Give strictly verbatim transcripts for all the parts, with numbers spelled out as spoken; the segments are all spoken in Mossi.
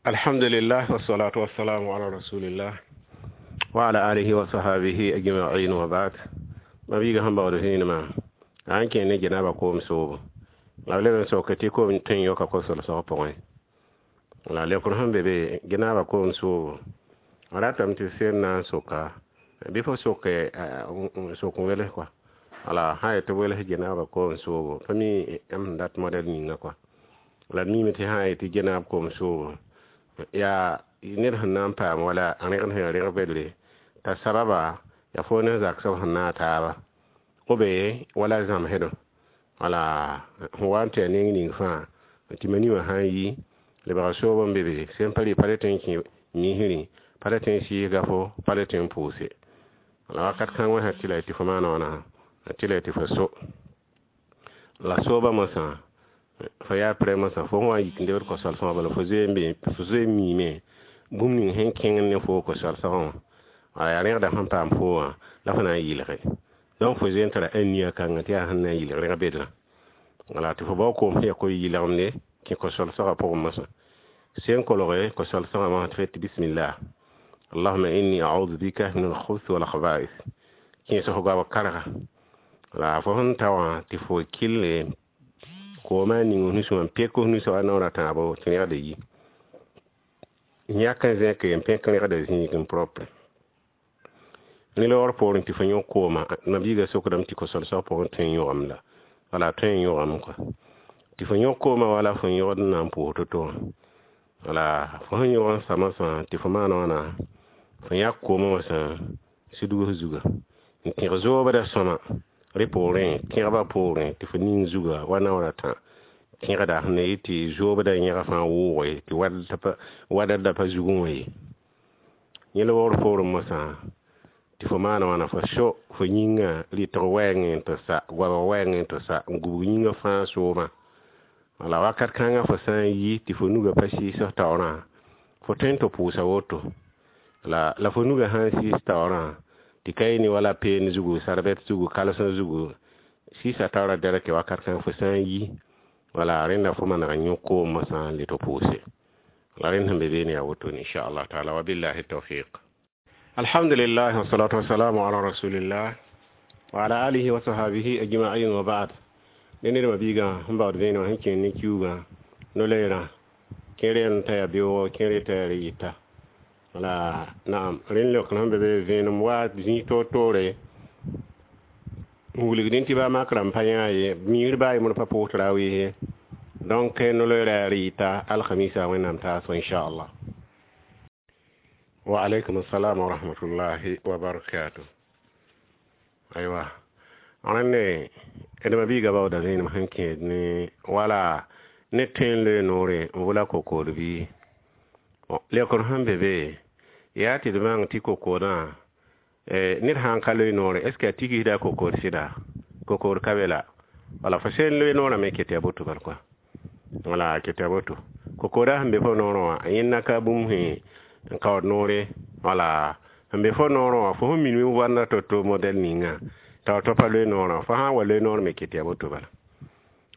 Alhamdulillah wassalatu wassalamu ala rasulillah wa ala alihi wa sahbihi ajma'in wa ba'd. Mabiiga sẽn baood vẽenemã a n kẽ ne janaba koom soobo la b leb n soke tɩ koom tõe n yõka ko-solsg pʋgẽ. La leokr sẽn be be janaba koom soobo a ratame tɩ sel na n soka bɩ fo soke sok n wels kɔa. Wala sã n yet tɩ b wels janaba koom soobo pa mi m sẽn dat modɛl ninga kɔa. La d miime tɩ sã n yet tɩ janab koom soobo yaa ned sẽn na n paam wala a rẽgd sẽn yaa rẽg bedre t'a sababa yaa fo ne zagsb sẽn naag taaba b wala zãmsdõ wala sẽn wa n tɩ yaa neng ning fãa tɩ mani wã sã n yi lebga soob n be be sẽn pa rɩ pa le tõe n kẽ misrẽ, pa le tõe n sɩɩsga fo, pa le tõe n pʋʋse. La wakat kãng wã sã tɩ la tɩ fo maan wãna tɩ la tɩ fo so la soobã mosã fo yaa prɛ mosã fo sẽn wa n yik n lebd ko-solsgã bala fo zoe n be fo zoe n miime bũmb ning sẽn kẽngd ne foo ko-solsgã wã wala yaa rẽgda sẽn paam foo wã la fo na n yɩlge. Donc fo zoe n tara ania kãngã tɩ yaa sẽn na n yɩlg rẽg bedrã. Wala tɩ fo bao koom sẽn yaa ko-yɩlgemde kẽ ko-solsgã pʋgẽ mosã sen kolge ko-solsgã mosã tɩ fo yet bismillah allahuma inni a'udhu bika min al-khubuthi wal khaba'ith kẽes fo goab karga. La fo sẽn ta wã tɩ fo kɩlle koomã ning f nusẽ wã n pek f nusã wa naoor a tãabo tɩ rẽgda yi yãk n zẽke n pẽk rẽgda zĩig n propre. Ne loogr poorẽ tɩ fo yõk kooma mabiiga sokdame tɩ ko-solsg pʋgẽ tõe n yõgame la wala tõe n yõgame kɔa tɩ fo yõk koomã wala fo yõgd n na n pʋʋs to-to wã. Wala fo sẽn yõg n sa mosã tɩ fo maan wãna fo yãk koomã mosã sidg f zuga n tẽg zoobda sõma rẽ poorẽ tẽgbã poorẽ tɩ fo ning zuga wa naoor a tã tẽgda sẽn na yɩ tɩ zoobda yẽga fãa wʋʋge tɩ wadr da pa zugẽ wã ye. Yẽ loogr poorẽ mosã tɩ fo maan wãna fo so fo yĩngã rɩtg wɛɛngẽ n tɩ sa goabg wɛɛngẽ n tɩ sa n gubg yĩngã fãa soobã. Wala wakat kãngã fo sã n yi tɩ fo nugã pa sɩɩs f taoorã fo tõe n tɩ pʋʋsa woto la la fo nugã sã n sɩɩs taoorã tɩ ka yɩ ne wala peen zugu sarbɛt zugu kalsẽ zugu sɩɩsa taoorã dɛrke wakat kãng fo sã n yi wala rẽnda fo maneg n yõk koom mosã n le tɩ pʋʋse. La rẽnd sẽn be beene yaa wotone inchallah taala wa billahi tawfiq. Alhamdulillah wassalatu wassalamu ala rasulillah wa ala alihi wa sahbihi ajma'in wa ba'd. Ne ned mabiigã sẽn baood vẽenemã sẽn kẽer ne kiuugã no-loeerã kẽer n ta yaa beoogɔ kẽer t'a yaa yɩta. Wala naam rẽnd leokr sẽn be be vẽenem wa zĩig toor-toore n wilgdẽ tɩ baa makrã n pa yã ye miir baa yembr pa pʋʋs tarawih ye. Donc no-loeerã yaa rɩɩta alhamisa wẽnnaam taasgo inchallah. Wa alaykum assalam wa rahmatullahi wa barakatuh. Aywa rẽnde d mabiiga baooda vẽenem sẽn kẽed ne wala ne tõe n loe noore n vʋla kokood bɩ leokr sẽn be be yaa tɩ d bãng tɩ kokoodã ned sã n ka loe noore est ce que a tigsda kokood sɩda kokood ka be la wala fo sẽn loe noorã me ket yaa boto bal kɔa wala ket yaa boto kokooda sẽn be fo noorẽ wã yẽnda ka bũmb sẽn n kaood noore wala sẽn be fo noorẽ wã fo sẽn minime wanda to-to modɛl ninga t'a to pa loe noorã fo sã n wa loe noor me ket yaa boto bala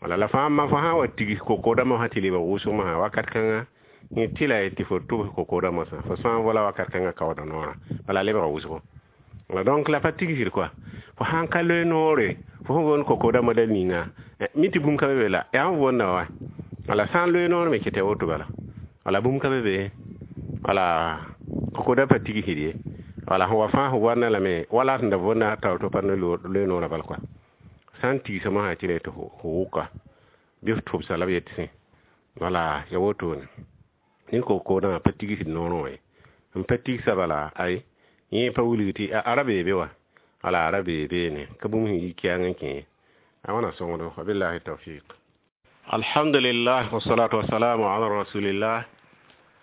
wala la fãa fo sã n wa tigs kokoodã mosã tɩ lebg wʋsg mosã wakat kãnga yẽ tɩ la tɩ fo tʋbs kokoodã mosã fo sã n vola wakat kãngã kaooda noorã bala lebga wʋsgo. Wala donc la pa tigsd kɔa fo sã n ka loe noore fo sẽn woond kokoodã modɛl ninga mi tɩ bũmb ka be be la yaa n woonda wa wala sã n loe noor me ket yaa woto bala wala bũmb ka be be wala kokoodã pa tigsd ye wala sẽn wa fãa sẽn wanda lame wala sẽn da võnda taoor tɩ pa ne loe noorã bal kɔa sã n tigsa mosã tɩ la tɩ fo wʋka bɩ f tʋbsa la b yet sẽ wala ya wotone ne kokoodã pa tigsd noorẽ wã ye n pa tigsa bala ay yẽ pa wilg tɩ a ra bee be wa wala a ra bee beene ka bũmb sẽn yi kiang n kẽ a wãna sõngdo wa billahi tawfiq. Alhamdulillah wassalatu wassalamu ala rasulillah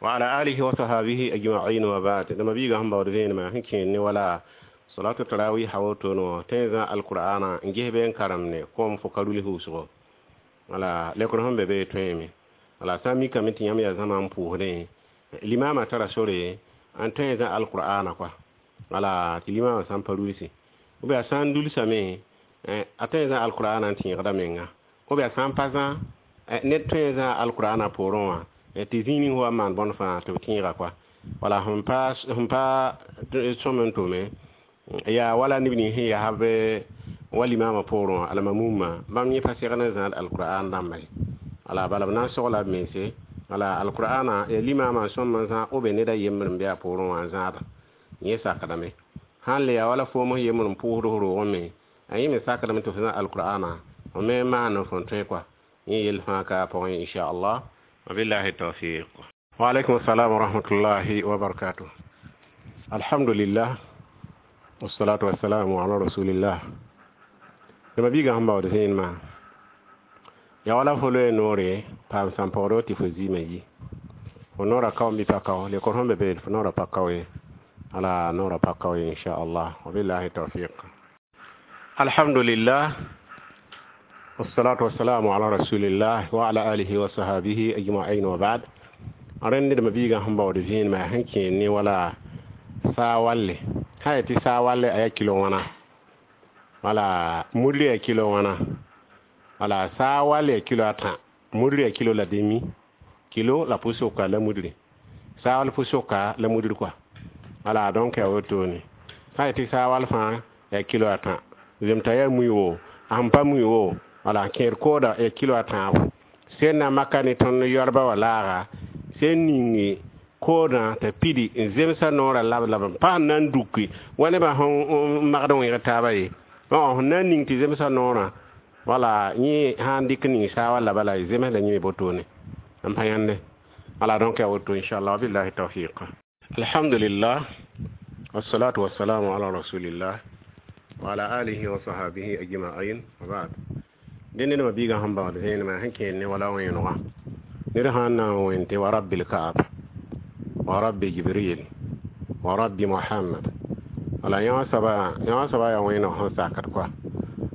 wa ala alihi wa sahbihi ajma'in wa ba'd. Da mabiiga sẽn baood vẽenemã sẽn kẽer ne wala salatu tarawih wotono tõe n zã alqur'ana n ges be n karemne kom fo ka ruls wʋsgo wala lekr sẽn be be tõeme wala sã n mikame tɩ yãmb yaa zãma n pʋʋsdẽ limama tara sore n tõe n zã alqur'ana kɔa wala tɩ limama sã n pa rulsi ou bien a sã n dulsame a tõe n zã alqur'ana n tẽegda menga ou bien a sã n pa zã ned tõe n zã alqur'ana poorẽ wã Tɩ zĩig ning wa maan bõnd fãa tɩ b tẽega koa. Wala sẽn pa sẽn pa sõm n tʋme yaa wala neb nins sẽn yaa b wa limaamã poorẽ wã almamumã bãmb yẽ pa segd n zãad alqur'an dãmba ye. Wala bala b na n sogla b mense. Wala alqur'ana ya limaamã n sõm n zãag ou bien ned a yembr n be a poorẽ wã n zãada yẽ sakdame. Sãn le yaa wala foom f yembr n pʋʋsd f roogẽ me a yẽ me sakdame tɩ f zã alqur'ana f me maan f n tõe koa. Yẽ yell fãa ka a pʋgẽ inchallah. Wabillahi tawfiq. Wa alaikum assalam wa rahmatullahi wa barakatuh. Alhamdulillah wassalatu wassalamu ala rasulillah. Dama biiga sẽn baood zẽenmã yaa wala fo loe noore paam sãn-paoodg tɩ fo zɩɩmã yi fo noorã kao n bɩ pa kao lekor sẽn be be fo noorã pa kao ye. Ala noorã pa kao ye inchallah. Wabillahi tawfiq. Alhamdulillah wassalatu wassalamu ala rasulillah wa ala alihi wa sahabihi ajma'in wa ba'd. Rẽnd ned biiga sẽn baood zẽenmã sẽn kẽer ne wala saa walle sã yaa tɩ saa walle a yaa kilo wãna wala mudr yaa kilo wãna wala saa wall yaa kilo a tã mudr yaa kilo la demi kilo la pʋ-sʋka la mudre saa wall pʋ-sʋka la mudr koa. Wala donc yaa wotone sã yaa tɩ saa wall fãa yaa kilo a tã zemta yaa mui wo a sẽn pa mui wo wala kẽer kooda yaa kilo a tãabo sẽn na maka ne tõnd yoarba wã laaga sẽn ningi koodã t'a pidi n zemsa noorã lab lab n paam na n duki wa nebã sẽn magd wẽeg taaba ye sẽn na n ning tɩ zemsa noorã wala yẽ sã n dɩk ning saa walla bala zems la yẽ me botone n pa yãnde. Wala donc yaa woto inchallah. Wabillahi tawfiq. Alhamdulillah wassalatu wassalamu ala rasulillah wa ala alihi wa sahabihi ajma'in wa ba'd. Dẽnd nedmã biigã sẽn baood zẽenemã sẽn kẽer ne wala wẽenegã ned sãn na n wẽn tɩ wa rabbil kaab wa rabbi jibril wa rabbi muhammad wala yã soaba yã soaba yaa wẽeneg sẽn sakd koa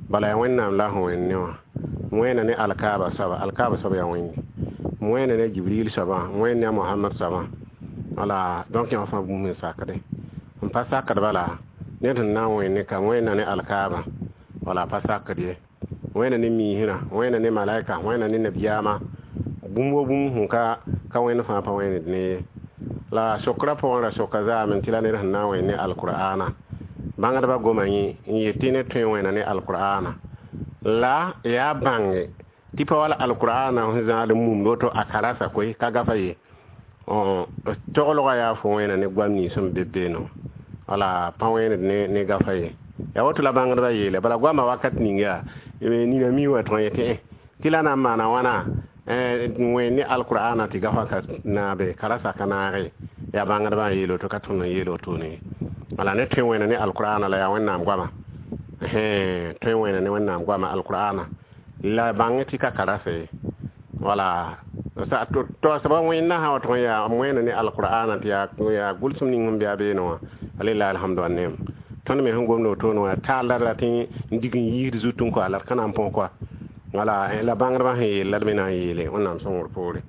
bala yaa wẽnnaam la sẽn wẽnd ne wã wẽna ne alkaaba soaba alkaaba soaba yaa wẽnde wẽna ne jibril soabã wẽnd ne a muhammad soabã wala donc yã fãa bũmb n sakde n pa sakd bala ned sẽn na n wẽnd ne ka wẽnna ne alkaaba wala pa sakd ye wẽna ne miisrã wẽna ne malaika wẽna ne nabiyaamã bũmb wo bũmb sẽn ka ka wẽnd fãa pa wẽnd ne ye la sokra pʋgẽ ra soka zaame tɩ la ned sẽn na n wẽnd ne alqur'ana bãngdbã goma yẽ n yet tɩ ned tõe n wẽna ne alqur'ana la yaa bãnge tɩ pa wala alqur'ana sẽn zãad n mumd woto a karasa koe ka gafa ye toglgã yaa fo wẽna ne goam nins sẽn be beene wala pa wẽnd ne ne gafa ye yaa woto la bãngdbã yeele bala goamã wakat ning yaa nina mi wa tõe tɩ tɩ la na n maana wãna wẽnd ne alqur'ana tɩ gafa ka naabe karasa ka naage yaa bãngdbã n yeel woto ka tõnd n yeel wotone wala ne tõe wẽna ne alqur'ana la yaa wẽnnaam goama tõe wẽna ne wẽnnaam goama alqur'ana la bãng tɩ ka karasa ye wala to soaba wẽnna sã wa tʋg n yaa wẽna ne alqur'ana tɩ yaa gʋlsem ning sẽn be a beene wã alillahi alhamdu wa nem tõnd me sẽn gomd wotone wã taal la rat n dig n yiisd zut n koa la d ka na n põs koa wala la bãngdbã sẽn yeel la d me na n yeele wẽnnaam sõngr poore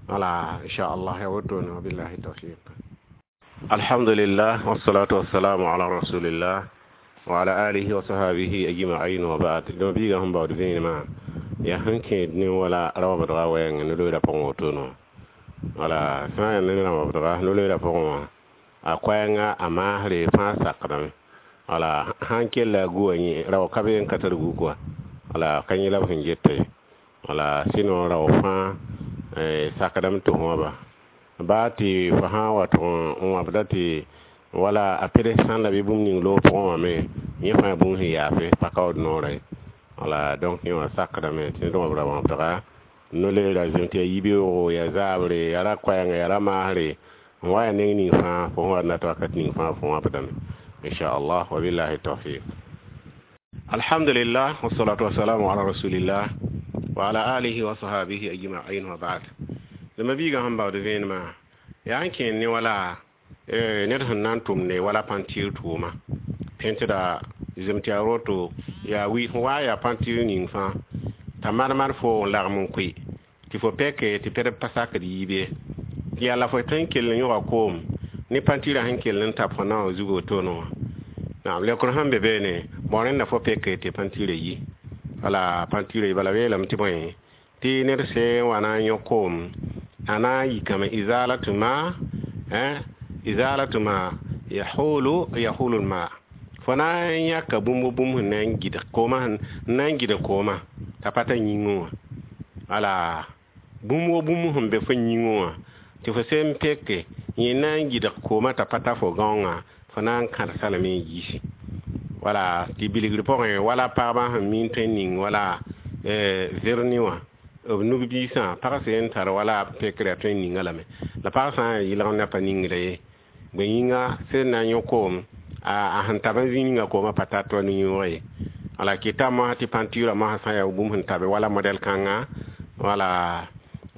wala inchallah yaa wotone wabillahi tawfiq. Alhamdulillah wassalatu wassalamu ala rasulillah wa ala alihi wa sahabihi ajma'in wa ba'd. Dẽma biigã sẽn baood vẽenemã yaa sẽn kẽed ne wala raobdga wɛɛngẽ no-loeera pʋgẽ wotone wala sã n yaa ne rãwabdga no-loeera pʋgẽ wã a koɛɛngã a maasre fãa sakdame wala sãn kella a gu wã yẽ rao ka be n ka tar gu koa wala ka yẽ la b sẽn geta ye wala sɩno rao fãa sakdame tɩ wãba baa tɩ fo sã n wa tʋg n wãbda tɩ wala a pedes sãn la bɩ bũmb ning loog pʋgẽ wã me yẽ fãa bũmb sẽn yaafe pa kaood noorã ye wala donc yẽ wã sakdame tɩ ned wãbra wãbdga no-leera zem tɩ yaa yibeoogo yaa zaabre yaa ra koɛɛngã yaa ra maasre n wa yaa neng ning fãa fo sẽn wa nat wakat ning fãa fo wãbdame inchallah wabillahi tawfiq. Alhamdulillah wassalatu wassalamu ala rasulillah wa ala alihi wa sahabihi ajma'in wa ba'd. Dama biigã sẽn baood vẽenemã yaa n kẽer ne wala ned sẽn na n tʋmde wala pãntɩɩr tʋʋma pẽntda zem tɩ yaa roto yaa wi fo wa yaa pãntɩɩr ning fãa t'a marmar fo n lagm n koe tɩ fo pɛke tɩ pɛd pa sakd yiib ye yaa la fo tõe n kell n yõga koom ne pãntɩɩrã sẽn kell n tab fo na wã zug wotone wã naam lekr sẽn be beene bao rẽnda fo pɛke tɩ pãntɩɩrã yi wala pãntɩɩrã yi bala yeelame tɩ bõe tɩ ned sẽn wa na n yõ koom A na n yikame izalatu ma, izalatu ma yahulu yahulu ma fo na n yãka bũmb bũmb sẽn na n gɩdg koomã, sẽn na n gɩdg koomã t'a pa ta yĩngẽ wã. Wala bũmb wo bũmb sẽn be fo yĩngẽ wã tɩ fo sẽn peke yẽ na n gɩdg koomã t'a pa ta fo gãongã, fo na n kãdsa lame n yiisi. Wala tɩ bilgr pʋgẽ, wala pagbã sẽn mi n tõe n ning wala verni wã b nug-biisã, pag sẽn tar wala pekrã tõe n ninga lame. La pag sã n yaa yɩlg na pa ningda ye, bõe yĩnga sẽn na n yõ koom a sẽn tab n zĩ ninga koomã pa tar tɩ wa no-yõog ye. Wala kɩta mosã tɩ pãntura mosã sã n yaa bũmb sẽn tabe wala modɛl kãnga, wala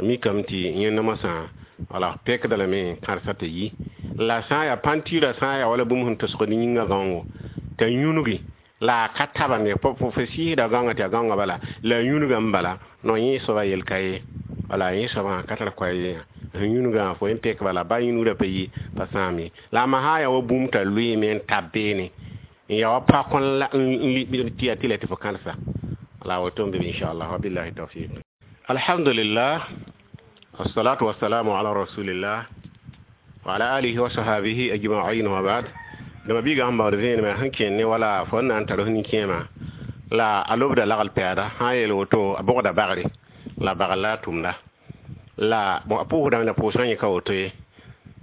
mikame tɩ yẽnd mosã wala pekda lame kãdsa tɩ yi. La sã n yaa pãntura, sã n yaa wala bũmb sẽn tosgd yĩngã gãongo t'a yũnugi la a ka tabende, fo sɩɩsda gãongã tɩ yaa gãongã bala la a yũnugame bala no, yẽ soaba yel ka ye. Wala yẽ soabã ka tar koɛɛ ye, sẽn yũnugã fo yẽ pek bala ba yũnugrã pa yi, pa sãam ye. La a sã n yaa wa bũmb t'a lʋɩɩme n tab beene n yaa wa pak n tɩ yaa tɩlɛ tɩ fo kãdsa la woto n be. Inchallah, wabillahi tawfiq. Alhamdulillah, wassalatu wassalamu ala rasulillah wa ala alihi wa sahabihi ajma'in wa ba'd. Dama biiga sẽn baood vẽenemã sẽn kẽnd ne wala fo n na n tar f nin-kẽemã la a lobda lagl pɛɛda sã n yeel woto, a bogda bagre la bagr la a tʋmda la a pʋʋsdame la pʋʋsgã yẽ ka woto ye.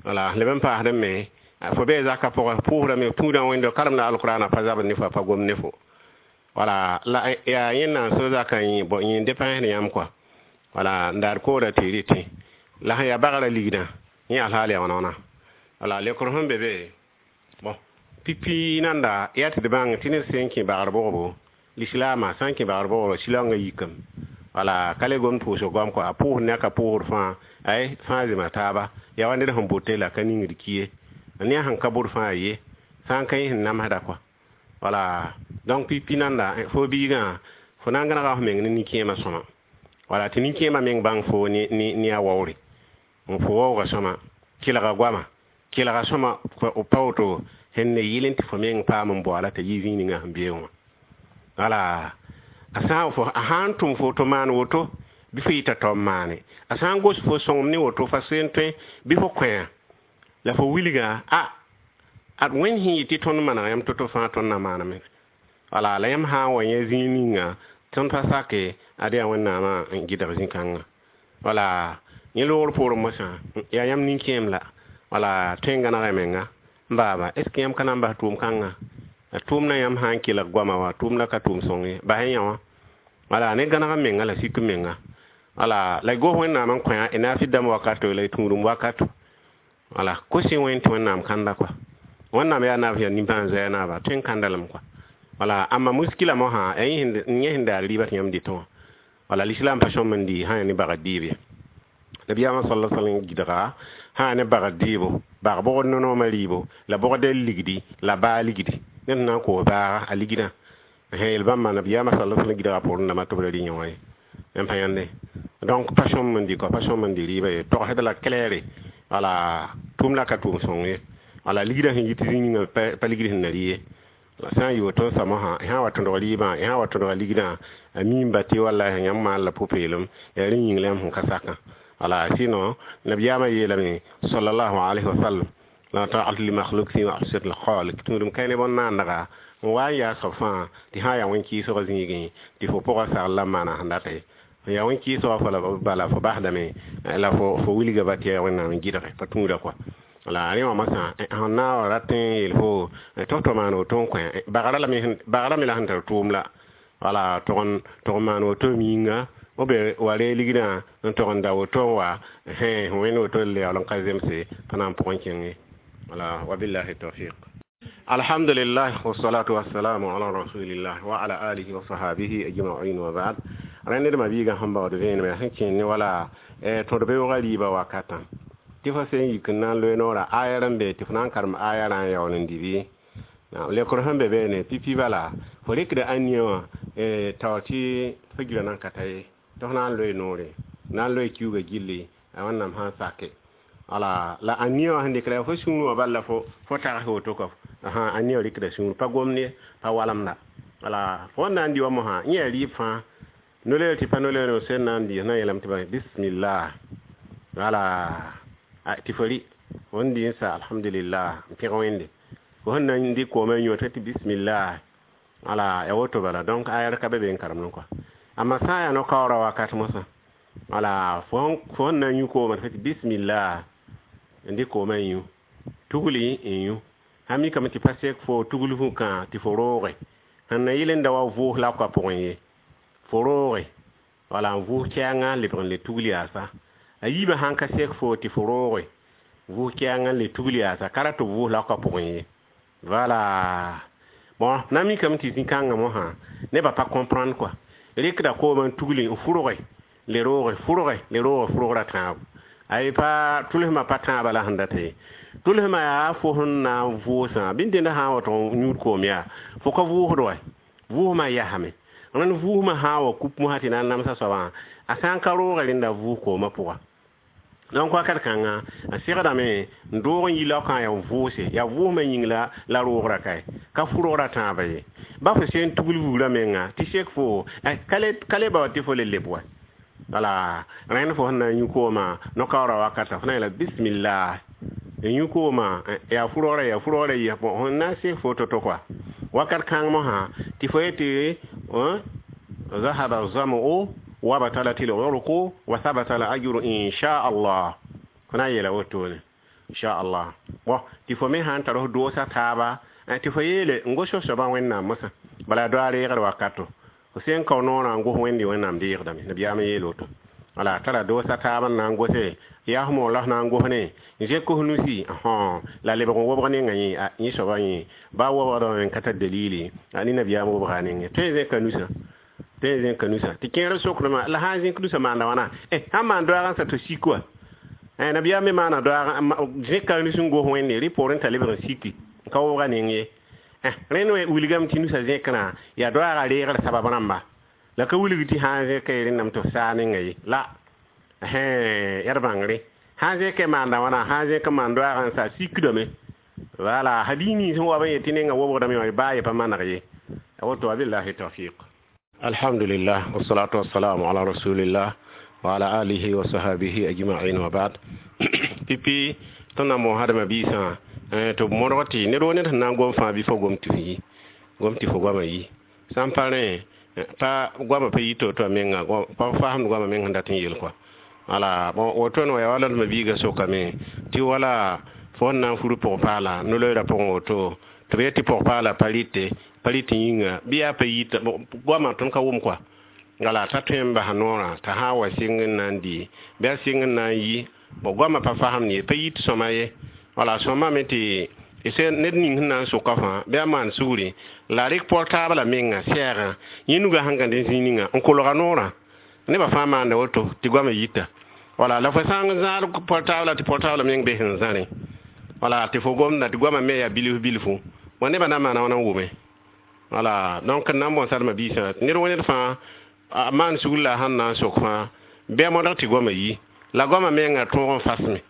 Wala leb n paasdẽ me fo bee zakã pʋgã pʋʋsdame tũudã wẽndo karemda alqurana pa zabd ne fo, a pa gom ne fo. Wala la yaa yẽnnaam sẽn zakã yẽ yẽ depãsd yãmb kɔa. Wala n daar koorã tɩ rɩtẽ la sẽn yaa bagrã ligdã yẽ alhaal yaa wãna wãna. Wala lekr sẽn be be bon pipi nanda yaa tɩ d bãng tɩ ned sẽn kẽ bagr bogbo, lislaamã sã n kẽ bagr bogbo silaongã yikame. Wala ka le gom pʋʋsg goam kɔa, a pʋʋsd ne a ka pʋʋsd fãa ay fãa zema taaba. Yaa wa ned sẽn bote la ka ningd ki ye, ne a sẽn ka bʋd fãa ye sã n ka yẽ sẽn namsda kɔa. Wala donc pipi nanda fo biigã fo na n gãnega f meng ne nin-kẽemã sõma, wala tɩ nin-kẽemã meng bãng fo ne a waoore, fo waooga sõma kelga goama kelga sõma pa woto sẽn ne yɩl n tɩ fo meng paam n boala t'a yi zĩig ninga sẽn beoog wã. Wala a sã fo a sã n tʋm fo tɩ maan woto bɩ fo yɩta tao n maane, a sã n gos fo sõngem ne woto fa seen tõe bɩ fo kõ la fo wilga a ad wẽnd sẽn yɩ tɩ tõnd maneg yãmb to-to fãa tõnd na maaname. Wala la yãmb sã n wa yẽ zĩig ninga tõnd pa sake ad yaa Wẽnnaamã n gɩdg zĩ-kãngã. Wala yẽ loogr poorẽ mosã yaa yãmb nin-kẽem la wala tõe n gãnega menga n baaba est ce que yãmb ka na n bas tʋʋm kãnga tʋʋmdã yãmb sã n kelg goamã wa tʋʋmdã ka tʋʋm sõng ye, bas yã wã. Wala ne gãneg n menga la sik n menga. Wala la y gos Wẽnnaam n kõ y naafɩd dãmb wakato la y tũudum wakato. Wala kos-y wẽnd tɩ Wẽnnaam kãnda kɔa, Wẽnnaam yaa naab yaa nimbãan-zoɛɛ naaba tõe n kãnda lame kɔa. Wala amma muskila mosã yẽ sẽn daar rɩɩbã tɩ yãmb dɩtẽ wã. Wala lislaam pa sõm n dɩ sã yaa ne bagd dɩɩb ye. Nabiyaamã sala sallam gɩdga sã yaa ne bagd dɩɩbo, bag bogd nonoomã rɩɩbo la bogd ligdi la baa ligdi ned na n koos baaga a ligdã yel bãmba nabiyaamã sala sallam gɩdga pʋʋrẽ dãmbã tɩ b ra rɩ yẽ wã ye n pa yãnde. Donc pa sõm n dɩ kɔa, pa sõm n dɩ rɩɩbã ye, togsd la claire. Wala tʋʋm la ka tʋʋm sõng ye, wala ligdã sẽn yit zĩig ninga pa ligd sẽn na rɩ ye. La sã n yɩ woto n sa mosã sã n wa tõdg rɩɩbã, sã n wa tõdga ligdã a miimba tɩ wallahi yãmb maan la pʋ-peelem, yaa rẽ yĩng la yãmb sẽn ka sakã. Wala sinon nabiyaamã yeelame sallallahu alayhi wa sallam la ta'at li makhluq fi ma'siyat al-khaliq, tũudum ka ne bõn-naandga n wa n yaa soab fãa tɩ sã n yaa wẽn-kɩɩsgã zĩigẽ tɩ fo pʋgã sagl la n maana sẽn data ye, yaa wẽn-kɩɩsgã fo la bala fo basdame la fo fo wilga ba tɩ yaa Wẽnnaam n gɩdge pa tũuda kɔa. Wala rẽ wã mosã sẽn na n wa rat n yeel fo tɩ f tɩ maan woto n kõ bagrã bagrã me la sẽn tar tʋʋm la wala tʋg n maan woto yĩnga b wa reeg ligdã n tog n da woto n wa wẽnd woto n yaool n ka zemse pa na n pʋgẽ kẽng ye. Wala wabillahi tawfiq. Alhamdulillah, wassalatu wassalamu ala rasulillah wa ala alihi wa sahabihi ajma'in wa ba'd. Rẽnd ned ma-biigã sẽn baood vẽenemã sẽn kẽnd ne wala tõd beoogã rɩɩbã wakatã tɩ fo sẽn yik n na n loe noorã aya rãn be tɩ fo na n karem aya rã n yaool n dɩ bɩ lekr sẽn be beene pipi bala fo rɩkda ãnia wã taoor tɩ fo gira nan ka ta ye tɩ f na n loe noore na n loe kiuugã gilli a Wẽnnaam sã n sake. Wala la ãnia wã sẽn dɩkda fo sũur wã bal la fo fo tags woto kɔ ãnia wã rɩkda sũur pa gomd ye pa walemda. Wala fo wẽn na n dɩ wa mosã yẽ yaa rɩɩb fãa noleer tɩ pa noleer sẽn na n dɩ na n yeelame tɩ bismillah. Wala tɩ fo rɩ fo sẽn dɩ n sa, alhamdulillah, n pẽg Wẽnde. Fo sẽn na n dɩk koomã n yõ tɩ bismillah, wala ya woto bala. Donc ayar ka be be n karemdẽ kɔa. Amma sã n yaa no-kaoorã wakat mosã, wala fo sẽn na n yũ koomã tɩ bismillah n dɩk koomã n yũ, tugli n yũ, sã mikame tɩ pa sek fo tugl vũkã tɩ fo rooge sẽn na yɩl n da wa vʋʋs laoka pʋgẽ ye, fo rooge, wala n vʋʋs kɛɛngã n lebg n le tugl yaasa. A yiibã sãn ka sek fo tɩ fo rooge vʋʋs kɛɛngã n le tugl yaasa, ka rat tɩ vʋʋs laoka pʋgẽ ye. Voilà. Bon, na mikame tɩ zĩ-kãngã mosã nebã pa comprendre quoi, rɩkda koomã n tugli n fʋrge le rooge, fʋrge le rooge, fʋrgra tãabo ay pa tʋlsmã pa tãabã la sẽn data ye. Tʋlsmã yaa fo sẽn na n vʋʋsã bɩ dẽnd sã n wa tɩ yũud koom yaa fo ka vʋʋsd wa, vʋʋsmã yasame. Rẽnd vʋʋsmã sã n wa kup mosã tɩ na n namsa soabã, a sã n ka rooge rẽnda vʋʋs koomã pʋga. Donc wakat kãnga a segdame n doog n yi laokã yaa vʋʋse, yaa vʋʋsmã yĩng la la roogra kae, ka fʋrgra tãabã ye. Ba fo sẽn tugl vugrã menga tɩ sek fo ka le ba wa tɩ fo le leb wa. Wala rẽnd fo sẽn na n yũ koomã no-kaoorã wakata, fo na n yeela bismillah n yũ koomã, yaa fʋrgrã, yaa fʋrgrã yɩ sẽn na n sek fo to-to kɔa. Wakat kãng mosã tɩ fo yetɩ ذهب الظمأ وبطلت العرق وثبت الأجر إن شاء الله. Fo na n yeela wotone inchallah. Bon, tɩ fo me sã n tar f doosa taaba tɩ fo yeele n gos f soabã Wẽnnaam mosã, bala doa reegd wakato fo sẽn kao noorã n gos Wẽnde, Wẽnnaam deegdame. Nabiyaam yeel woto. Wala tara doosa taab n na n gose yaa f moor la f na n gos ne n zẽk f nusi la lebg n wobg nenga yẽ, yẽ soabã yẽ ba wobgdame n ka tar dalili ne nabiyaam wobga nengẽ. Tõe n zẽka nusã, tõe n zẽka nusã tɩ kẽer sokdmã la sã n zẽk nusã maanda wãna, sãn maan doaag n sa tɩ sik wa. Nabiyaam me maana doaag zẽka nus n gos Wẽnde rɩ poorẽ t'a lebg n siki n ka wobga neng ye. Rẽnd wilgame tɩ nusã zẽkrã yaa doaagã reegr sabab rãmba, la ka wilg tɩ sã n zẽka rẽndame tɩ f saa nenga ye la yaa d bãngre. Sã n zẽka maanda wãna, sã n zẽk n maan doaagã n sa sikdame. Wala hadis nins sẽn wa b n yet tɩ nenga wobgdame wã baa ye pa maneg ye. Woto, wabillahi tawfiq. Alhamdulillah, wassalatu wassalamu ala rasulillah wa ala alihi wa sahabihi ajma'in wa ba'd. Pipi tõnd na n moon hadma biisã tɩ b modg tɩ ned woo ned sẽn na n gom fãa bɩ fo gom tɩ f yi, gom tɩ fo goamã yi. Sã n pa rẽ pa goamã pa yi to-to a menga pa fasemd goamã meng sẽn dat n yel kɔa. Wala bon, woto ne yaa wala d mabiigã sokame tɩ wala fo sẽn na n fur pʋg-paala no-loeerã pʋgẽ woto tɩ b yet tɩ pʋg-paala pa rɩte, pa rɩt yĩnga bɩ yaa pa yita goamã tõnd ka wʋm kɔa. Wala t'a tõe n bas noorã t'a sã n wa sɩng n na n dɩ bɩ a sɩng n na n yi. Bon, goamã pa fasemd ye, pa yit sõma ye. Wala sõma me tɩ ned ning sẽn na n soka fãa bɩ a maan sugri la rɩk portable menga sɛɛgã yẽ nugã sẽn gãd n zĩig ninga n kolga noorã nebã fãa maanda woto tɩ goamã yita. Wala la fo sã n zãad portable tɩ portable meng be sẽn zãrẽ, wala tɩ fo gomda tɩ goamã me yaa bilf bilfu, bon, nebã na n maana wãna n wʋme. Wala donc n na n bõn sadma biisã ned wo ned fãa a maan sugr la a sẽn na n sok fãa bɩ a modg tɩ goamã yi la goamã menga tõog n fasme.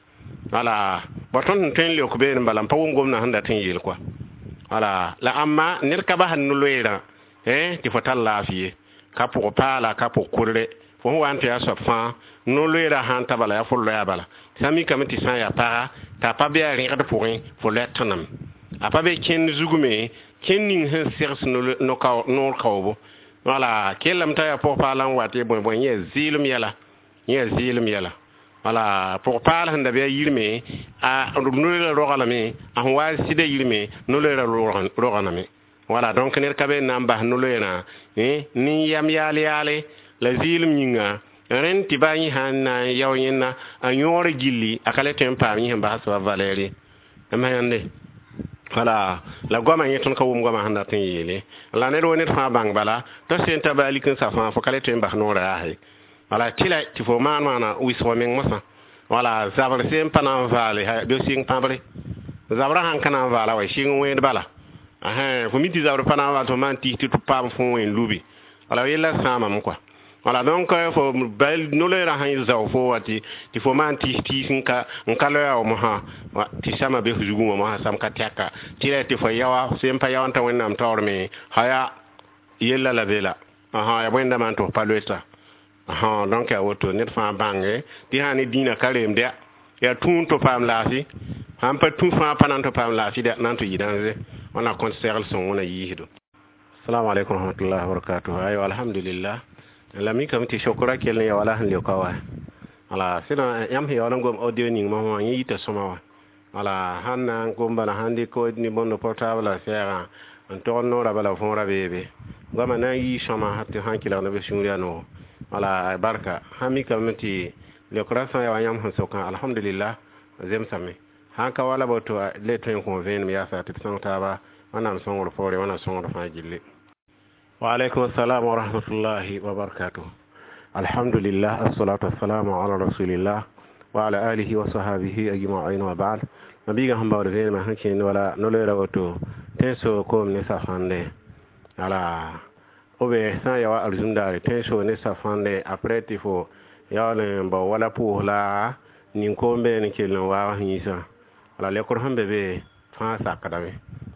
Wala ba tõnd sẽn tõe n leok beene bala n pa wʋm gomdã sẽn dat n yeel kɔa. Wala la ãmba ned ka basd no-loeerã tɩ fo tar laafɩ ye, ka pʋg paala, ka pʋg kʋdre fo sẽn wa n tɩ yaa soab fãa no-loeerã sã n ta bala yaa fo loɛa bala. Sã n mikame tɩ sã n yaa paga t'a pa be a rẽgd pʋgẽ fo loɛ tõname, a pa be kẽnd zug me kẽnd ning sẽn segs noor kaoobo. Wala kellame t'a yaa pʋg-paala n wat ye bõe bõe yẽ zɩɩlem yɛla, yẽ zɩɩlem yɛla. Wala pʋg-paal sẽn da be a yirme a no-loeerã roglame, a sẽn wa sɩda yirme no-loeerã roganame. Wala donc ned ka be n na n bas no-loeerã nin-yam yaal yaale la zɩɩlem yĩnga rẽnd tɩ ba yẽ sã n na n yao yẽnna a yõor gilli a ka le tõe n paam yẽ sẽn bas soaba valɛɛr ye m yãnde. Wala la goamã yẽ tõnd ka wʋm goamã sẽn dat n yeele la ned wo ned fãa bãng bala t'a sẽn ta ba lik n sa fãa fo ka le tõe n bas noorã yaase. Wala tɩla tɩ fo maan maana wɩsg meng mosã. Wala zabr sẽn pa na n vaale bɩ sɩng pãbre zabrã sãn ka na n vaala wa sɩng wẽed bala fo mi tɩ zabr pa na n vaal tɩ fo maan tis tɩ tɩ paam fo wẽn lubi. Wala yella sãamame kɔa. Wala donc fo no-loeerã sãn zao fo wa tɩ tɩ fo maan tis tis n ka n ka loɛa wa mosã tɩ samã be f zugẽ wã mosã sam ka tɛka tɩ ra tɩ fo yaoa sẽn pa yao n ta Wẽnnaam taoor me haya yella la be la yaa bõe n da maan tɩ f pa loeta. Ã, donc yaa woto ned fãa bãnge tɩ sã ne dĩinã ka reemd ya, yaa tũun tɩ paam laafɩ, sãn pa tũ fãa pa na n tɩ paam laafɩ dɛ, na n tɩ yɩ dãnze. Wẽnnaam kõt segl sõng wẽna yiisdo. Assalamu alaikum warahmatullahi wabarakatuh. Aywa, alhamdulillah, la mikame tɩ sokra kell n ya wala sẽn leoka wa. Wala sɩda yãmb sẽn yaool n gom audio ning mosã wã, yẽ yita sõma wã. Wala sãn na n gom bala, sãn dɩk ne bõnd portable la sɛɛgã n tog noorã bala, võora beebe goamã na n yii sõma tɩ sãn kelg neb sũur yaa noogo. Wala barka sãn mikame tɩ leokra sã n ya wa yãmb sẽn sokã, alhamdulillah, zemsame. Sãn ka wala woto, le tõe n kõ vẽenem yaasa tɩ d sõng taaba. Wẽnnaam sõngr poore, wẽnnaam sõngr fãa gilli. Wa alaikum assalam wa rahmatullahi wa barakatuh. Alhamdulillah, assalatu wassalamu ala rasulillah wa ala alihi wa sahbihi ajma'in, wa ba'd. Mabiiga sẽn baood vẽenemã sẽn kẽnd wala no-loeera woto, tẽn-soog koom ne safãnde. Ala b sã n ya wa arzũm daare, tẽn-soog ne safãnde, après tɩ fo yaool n bao wala pʋʋs la nin-koom bee n kell n waag yĩsã. Wala lekr sẽn be be fãa sakdame.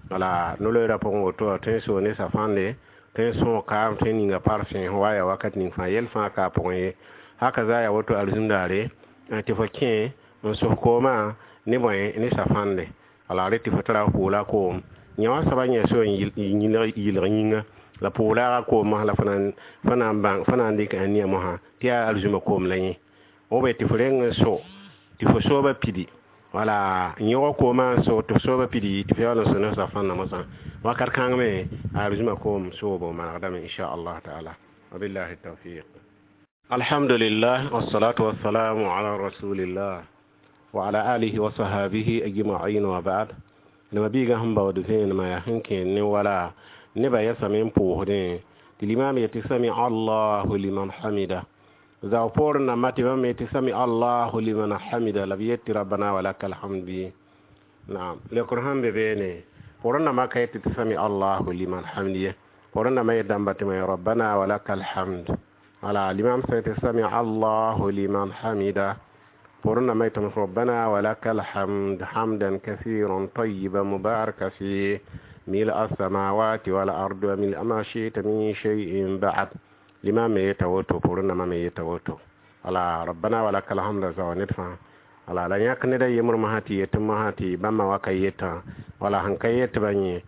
Wala no-loeerã pʋgẽ woto, tẽn-soog ne safãnde, tẽn sõog kaam, tẽn ninga parfum sẽn wa ya wakat ning fãa, yɛl fãa ka a pʋgẽ ye. Haka za ya woto arzũm daare tɩ fo kẽ n sos koomã ne bõe ne safãnde. Wala re tɩ fo tara f pʋʋla koom yẽ wã soaba yẽ so n yɩlg yĩnga la pʋʋlaaga koom mosã la fo na n bãng, fo na n dɩk ania mosã tɩ yaa arzũmã koom la yẽ b tɩ fo reng n so tɩ fo sooba pidi. Wala yõg koomã n so tɩ f sooba pidi, tɩ f yaool n so ne safãnda mosã wakat kãng me arzũmã koom soobo manegdame, inchallah taala. Wabillahi tawfiq. Alhamdulillah, wassalatu wassalamu ala rasulillah wa ala alihi wa sahabihi ajma'in, wa ba'd. Nema biiga sẽn baood vẽenemã yaa sẽn kẽed ne wala nebã yɛsame n pʋʋsdẽ tɩ limaam yetɩ sami allahu liman hamida, zao poorẽ nambã tɩ bãmb yetɩ sami allahu liman hamida, la b yetɩ rabbana walaka alhamd bɩ naam. Leokr sãn be beene, poorẽ nambã ka yetɩ tɩ sami allahu liman hamd ye, poorẽ nambã yet dãmba tɩ ma rabbana walaka alhamd. Wala limam sã yetɩ sami allahu liman hamida, poorẽ nambã yetɩ rabbana walaka alhamd hamdan kathiran tayyiban mubaraka fih ملء السماوات والأرض وملء ما شئت من شيء بعد. Limam me yeta woto, poorẽ nambã me yeta woto. Wala rabbana walaka alhamd zao ned fãa. Wala la yãk ned a yembr mosã tɩ yetɩ mosã tɩ bãmba wa ka yetã, wala sẽn ka yet bã yẽ.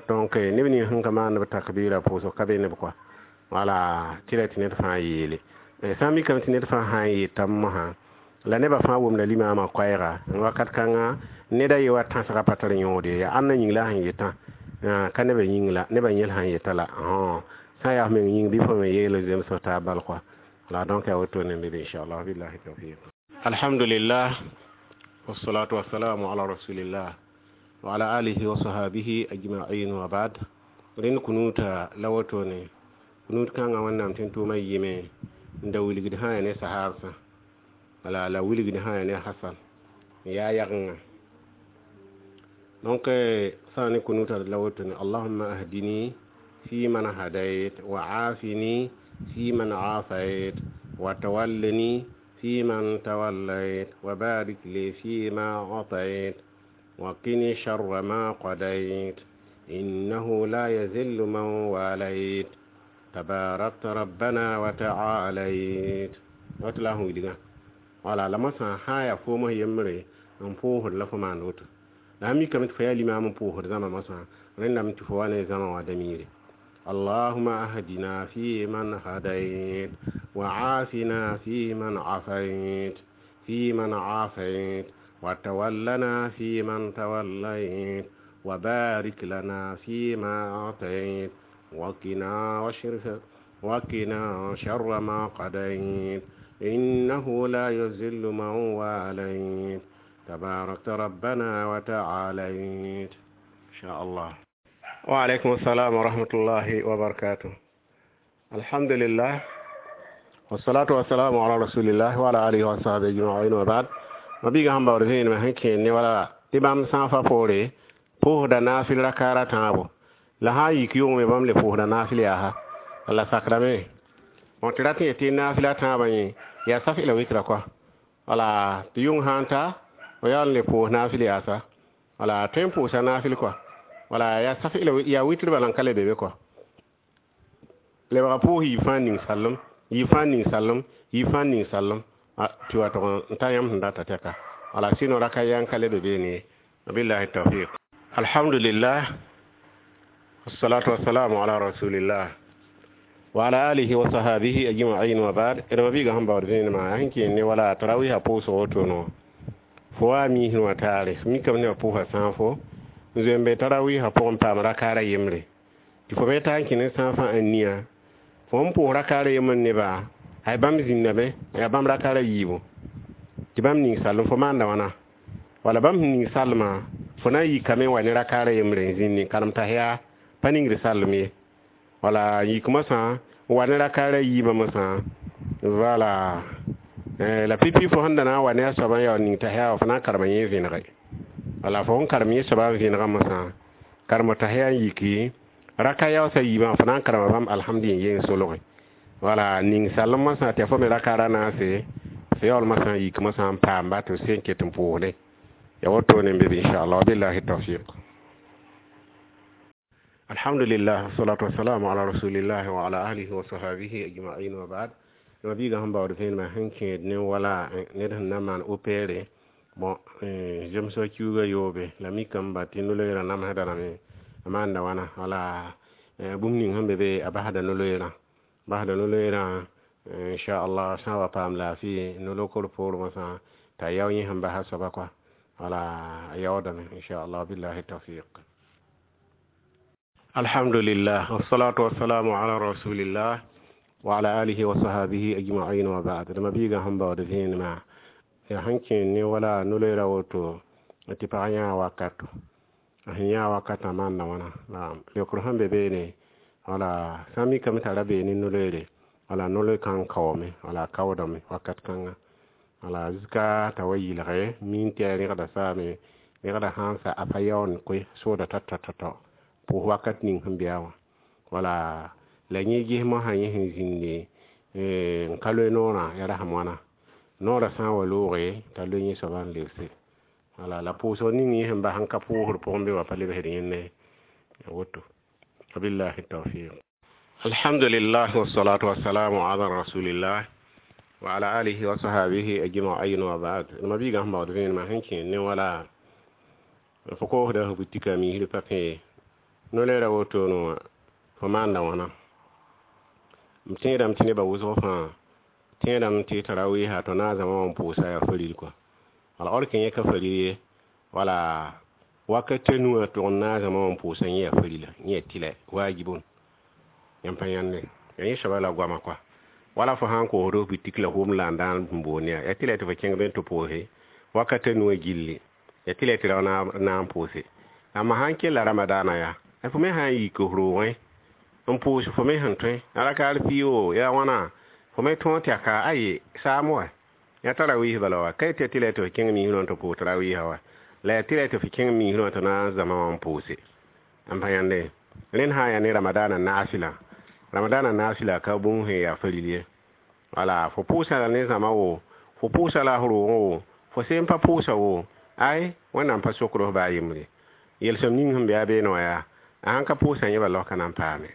Donc neb ning sẽn ka maan b takbɩɩra pʋʋsg ka be neb kɔa. Wala tɩ ra tɩ ned fãa yeele, sã n mikame tɩ ned fãa sã n yetame mosã la nebã fãa wʋmda limaamã koɛɛga wakat kãnga, ned a ye wa tãsga pa tar yõod ye, yaa ãnna yĩng la sẽn yetã, ka nebã yĩng la nebã yẽl sãn yeta la sã n yaa f meng yĩng bɩ fo me yeel n zemsg taab bal kɔa. La donc yaa woto ne be inchallah. Billahi tawfiq. Alhamdulillah, wassalatu wassalamu ala rasulillah wa ala alihi wa sahabihi ajma'in, wa ba'd. Rẽnd kunuuta la woto ne kunut kãngã wẽnnaam tẽn tʋʋmã yɩme n da wilgd sã ya ne sahaabsã, wala la wilgd sã ya ne hasan n yaa yagenga. Donc sã ne kunuta la woto ne: allahumma ahdini fi man hadayt, wa aafini fi man aafayt, wa tawallani fi man tawallayt, wa barik li fi ma atayt, wa qini sharra ma qadayt, innahu la yazillu man walayt, tabarakta rabbana wa ta'alayt. Wat la sẽn wilgã wala la mosã sã yaa foomã yembre n pʋʋsd la fo maan woto. La sã mikame tɩ fo yaa limaam n pʋʋsd zãma mosã, rẽndame tɩ fo wa ne zãma wã damiire: اللهم أهدنا فيمن هديت، وعافنا فيمن عافيت فيمن عافيت وتولنا فيمن توليت، وبارك لنا فيما أعطيت، وقنا وشرف وقنا شر ما قضيت، إنه لا يذل من واليت، تباركت ربنا وتعاليت. إن شاء الله. وعليكم السلام ورحمة الله وبركاته. الحمد لله، والصلاة والسلام على رسول الله وعلى آله وصحبه أجمعين، وبعد. Mabiiga sẽn baood vẽenemã sẽn kẽer ne wala tɩ bãmb sã n fa poore pʋʋsda naafɩl rakaara tãabo, la sã n yik yʋngme bãmb le pʋʋsda naafɩl yaasa la sakdame. Bõ tɩ rat n yetɩ naafɩla tãabã yẽ yaa saf la witra kɔa. Wala tɩ yʋng sã n ta fo yaool n le pʋʋs naafɩl yaasa, wala tõe n pʋʋsa naafɩl kɔa, wala yaa saf yaa witr bala n ka le be be kɔa, lebga pʋʋs yiib fãa ning sallem. Yɩ fãa ning sallem, yɩ fãa ning sallem tɩ wa tʋg n ta yãmb sẽn data tɛka. Wala sɩno raka yã n ka le be beene ye. Wabillahi tawfiq. Alhamdulillah, wassalatu wassalamu ala rasulillah wa ala alihi wa sahabihi ajma'in wa ba'd. D mabiiga sẽn baood vẽenemã sẽn kẽen ne wala tarawiisã pʋʋsg wotono fo wa miisẽ wã taare mikame nebã pʋʋsa sãafo n zoe n be tarawiisã pʋgẽ paam rakaara yembre tɩ fo me taa n kẽ ne sãafã n nia fo n pʋʋs rakaara yembr neba ay bãmb zĩndame yaa bãmb rakaara yiibu tɩ bãmb ning sallem fo maanda wãna wala bãmb sẽn ning salmã fo na n yikame n wa ne rakaara yembre n zĩndi n karem t'a yaa pa ningd sallem ye wala yik mosã n wa ne rakaara yiibã mosã wala la pipi fo sẽn da na n wa ne a soaba n yaool ning t'a yaa fo na n karema yẽ vẽnege wala fo sẽn karem yẽ soaba n vẽnega mosã karem t'a yaa n yiki raka yaoosã yiibã fo na n karema bãmb alhamdi n yeng solge wala ning sallem mosã tɩ fo me rakaara naase fo yaool mosã n yik mosã n paamba tɩ f sẽn ket n pʋʋsde ya wotone n be be inchallah wabillahi tawfiq. Alhamdulillah, wassalatu wassalamu ala rasulillah wa ala alihi wa sahabihi ajma'in wa ba'd. Mabiiga sẽn baood vẽenemã sẽn kẽed ne wala ned sẽn na n maan opɛɛre bon zemsg kiuugã yoobe la mikame ba tɩ no-loeerã namsda rame a maanda wãna wala bũmb ning sẽn be be a basda no-loeerã basda no-loeerã inchallah sã n wa paam laafɩ no-lokr poor mosã t'a yao yẽ sẽn basa soaba kɔa wala a yaoodame inchallah billahi tawfiq. Alhamdulillah, wassalatu wassalamu ala rasulillah wa ala alihi wa sahabihi ajma'in wa ba'd. D mabiiga sẽn baood vẽenemã yaa sẽn kẽen ne wala no-loeerã woto tɩ pag yãa wakato a sẽn yãa wakatã maanda wãna naam leokr sẽn be beene wala sã n mikame t'a ra bee ne no-loeere wala no-loe kãng kaoome wala a kaoodame wakat kãnga wala zika t'a wa yɩlge miin tɩ a rẽgda saame rẽgda sã n sa a pa yaoond koe sooda tao-tao pʋʋs wakat ning sẽn be a wã wala la yẽ ges mosã yẽ sẽn zĩndi n ka loe noorã ya rasem wãna noorã sã n wa looge t'a loe yẽ soaba n lebse wala la pʋʋsg ning yẽ sẽn bas n ka pʋʋsd pʋgẽ be wã pa lebsd yẽnde woto wabillahi tawfiq. Alhamdulillah, wassalatu wassalamu ala rasulillah wa ala alihi wa sahabihi ajma'in wa ba'd. Mabiiga sẽn baood vẽenemã sẽn kẽen ne wala fo koosda f butika miisd pa pẽ no-loeerã wotono wã fo maanda wãna m tẽedame tɩ nebã wʋsg fãa tẽedame tɩ tarawiisã tɩ na n zãma wã n pʋʋsa yaa faril kɔa wala or kẽ yẽ ka faril ye wala wakat nuwã tʋg n naag zãma wã n pʋʋsa yẽ yaa farila yẽ yaa tɩlɛ waajibun yãmb pa yãnde yaa yẽ soaba la goama kɔa wala fo sã n koosd f bitik la hom la n daan n boond yaa yaa tɩlɛ tɩ fo kẽng be n tɩ pʋʋse wakat nuwã gilli yaa tɩlɛ tɩ rao na n pʋʋse amma sã n kella ramadaana yaa fo me sã n yik f roogẽ n pʋʋs fo me sẽn tõe a rakaar pii yaa wãna fo me tõog tɩ ka aye saam wa yaa tarawiis bala wa ka tɩ tɩlɛ tɩ f kẽng miisrã tɩ pʋʋs tarawiisã wa la yaa tɩlɛ tɩ f kẽng miisrã tɩ na n zãma wã n pʋʋse n pa yãnde rẽnd sã n yaa ne ramadaana naasɩla ramadaana naasɩla ka bũmb sẽn yaa faril ye wala fo pʋʋsa la ne zãma wo fo pʋʋsa la f roogẽ wo fo seen pa pʋʋsa wo ay wẽnnaam pa sokd f baa yembre yelsem ning sẽn be a beene wã yaa a sãn ka pʋʋsã yẽba laoka na n paame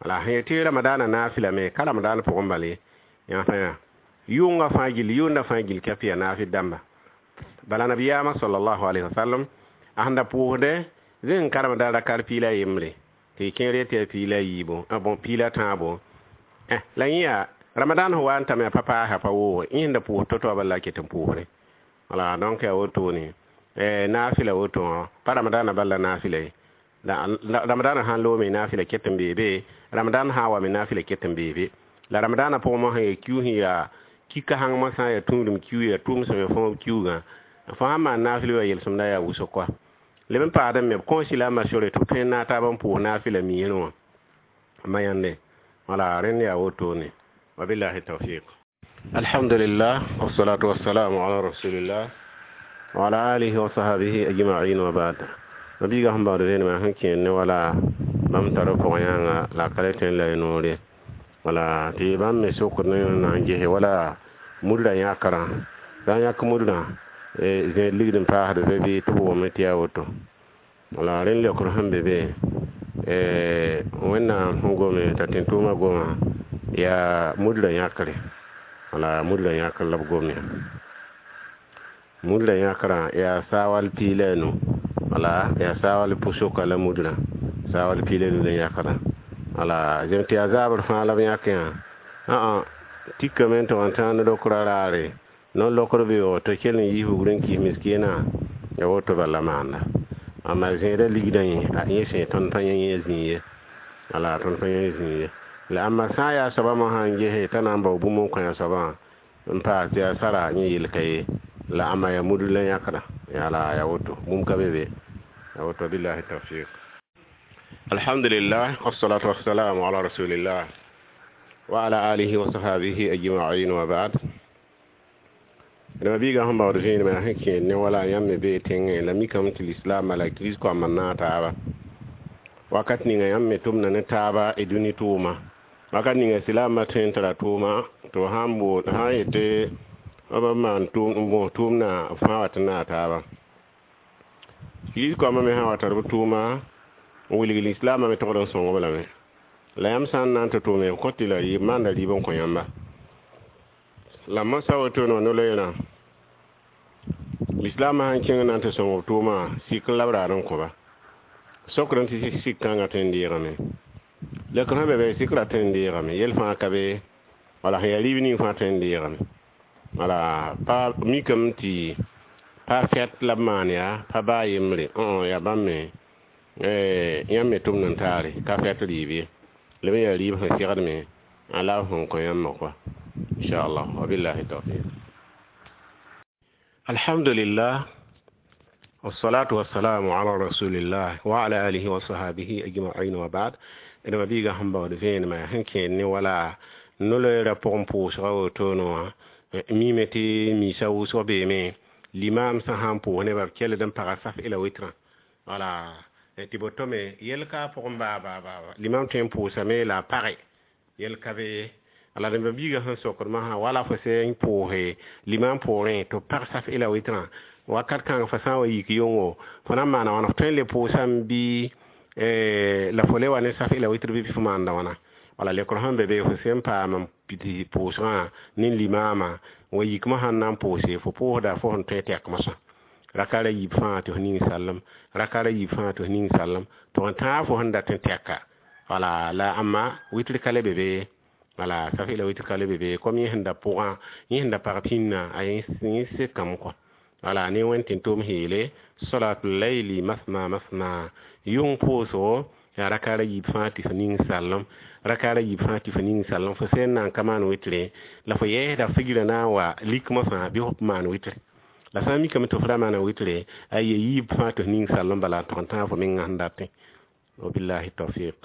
wala sẽn yetɩ ramadaana naafɩla me ka ramadaana pʋgẽ bal ye yã fãa yaa yʋnga fãa gill yʋnda fãa gill ka pɩ ya naafɩ dãmba bala nabiyaamã sallallahu alaihi wasallam a sẽn da pʋʋsdẽ zẽ n karemda rakar piila yembre tɩ kẽer yetɩ yaa piila yiibu bon piila tãabo la yẽ yaa ramadan sẽn wa n tame a pa paasa pa wooge yẽ sẽn da pʋʋs to-to bala la ket n pʋʋsre wala donc yaa wotone naafɩla woto wã pa ramadaana bal la naafɩla ye ramadaana sãn loome naafɩla ket n beebe ramadan sã n wa me naafɩla ket n beebe la ramadaana pʋgẽ mosã yaa kiu sẽn yaa kika hãng mosã yaa tũudum kiu yaa tʋʋm sẽm ya fõob kiugã fo sãn maan naafɩl wa yelsem-da yaa wʋsg koa leb n paasd me b kõosi la a masore tɩ b tõe n naag taab n pʋʋs naafɩla miisrẽ wã ma yãnde wala rẽnd yaa wotone wabillahi tawfiq. Alhamdulillah, wassalatu wassalamu ala rasulillah wa ala alihi wa sahabihi ajma'in wa ba'd. Mabiiga sẽn baood vẽenemã sẽn kẽer ne wala bãmb tar pʋgẽ yãnga la a ka le tõe n la y noore wala tɩ bãmb me sokd ne na n gese wala mudrã yãkrã sã n yãk mudrã zẽed ligd n paasd be bɩ tɩ b wʋme tɩ yaa woto wala rẽnd leokr sẽn be be wẽnnaam sẽn gome t'a tẽn-tʋʋmã goma Yaa mudla yãkre, wala mudla yãkr la b gom ya mudla yãkrã yaa saawal piig la a nu, wala yaa saawal pʋsoka la mudrã saawal piig la a nu la yãkdã. Wala zem tɩ yaa zaabr fãa la b yãk yã ã tikame n tog n tãag ne-lokra raare no-lokr beoog tɩ kell n yiis bugr n kɩs miskiinã ya woto bala maanda. Amma zẽedã ligdã yẽ yẽ sẽn tõnd pa yẽ yẽ zĩig ye, wala tõnd pa yẽ zĩig ye. La ãmba sã n yaa soabã mosã n gese t'a na n bao bũmb n kõ a soabã n paas tɩ yaa sara yẽ yel ka ye la ãmba yaa mudr la yãkda la ya woto bũmb ka be be ya woto. Billahi tawfiq. Alhamdulillah, wassalatu wassalamu ala rasulillah wa ala alihi wa sahbihi ajma'in, wa ba'd. Dama biiga sẽn baood vẽenemã yaa sẽn kẽed ne wala yãmb me bee tẽngẽ la mikame tɩ lislaambã la kirist-koambã naag taaba wakat ninga yãmb me tʋmda ne taaba y dũni tʋʋma wakat ninga silaambã tõe n tara tʋʋma tɩ f sãn bool sã n yetɩ b maan n bõos tʋʋmdã b fãa wat n naag taaba. Kirist-koambã me sã n wa tar b tʋʋma n wilg lislaambã me togd n sõng-b lame la yãmb sã n na n tɩ tʋʋme b kõt tɩ la rɩɩb maanda rɩɩb n kõ yãmba la mosã wotone wã no-loeerã lislaambã sãn kẽng na n tɩ sõng b tʋʋmã sik n la b raad n kõ-ba sokd n tɩ sik kãngã tõe n deegame lekr sẽn be be sik ra tõe n deegame yel fãa ka be wala sẽn yaa rɩɩb ning fãa tõe n deegame wala pa mikame tɩ pa fɛt la b maan yaa pa baa yembre yaa bãmb me yãmb me tʋmd n taare ka fɛt rɩɩb ye la me yaa rɩɩb sẽn segd me la b sẽn kõ yãmbã kɔa inchallah. Wabillahi tawfiq. Alhamdulillah, wassalatu wassalamu ala rasulillah wa ala alihi wa sahabihi ajma'in, wa ba'd. Dama biiga sẽn baood vẽenemã sẽn kẽed ne wala no-loeerã pʋgẽ pʋʋsga wotone wã mime tɩ miisã wʋsg beeme limaam sã sãn pʋʋs nebã b kelд n paga saf ila witrã wala tɩ boto me yel ka pʋgẽ baa baa baa limam tõe n pʋʋsame la a page yel ka be la rẽmba biigã sẽn sokd masã wala fo sẽn pʋʋse limam poorẽ tɩ b pag saf ila witrã wakat kãng fo sã n wa yik yongo fo na n maana wãna fo tõe n le pʋʋsame bɩ la fo le wa ne saf ila witr bɩ fo maanda wãna wala lekr sẽn be be fo sẽn paam n pid pʋʋsgã ne limaamã wa yik mosã n na n pʋʋse fo pʋʋsda fo sẽn tõe tɛk mosã raka ra yiib fãa tɩ f ning sallem raka ra yiib fãa tɩ f ning sallem tɩ f tãag fo sẽn dat n tɛka wala la ãmba witr ka le be be wala saf ila witr ka le be be kom yẽ sẽn da pʋgã yẽ sẽn da pag pĩnnã a yẽ sekame kɔ wala ne wẽnd tɩ tʋm yeele salatul layli masna masna yʋng pʋʋsgo yaa raka ra yiib fãa tɩ f ning sallem raka ra yiib fãa tɩ f ning sallem fo sẽn na n ka maan witre la fo yɛɛsda figrã na n wa lik mosã bɩ f maan witre la sã n mikame tɩ f ra maana witre a ye yiib fãa tɩ f ning sallem bala n tog n tãag fo mengã sẽn datẽ. Wabillahi tawfiq.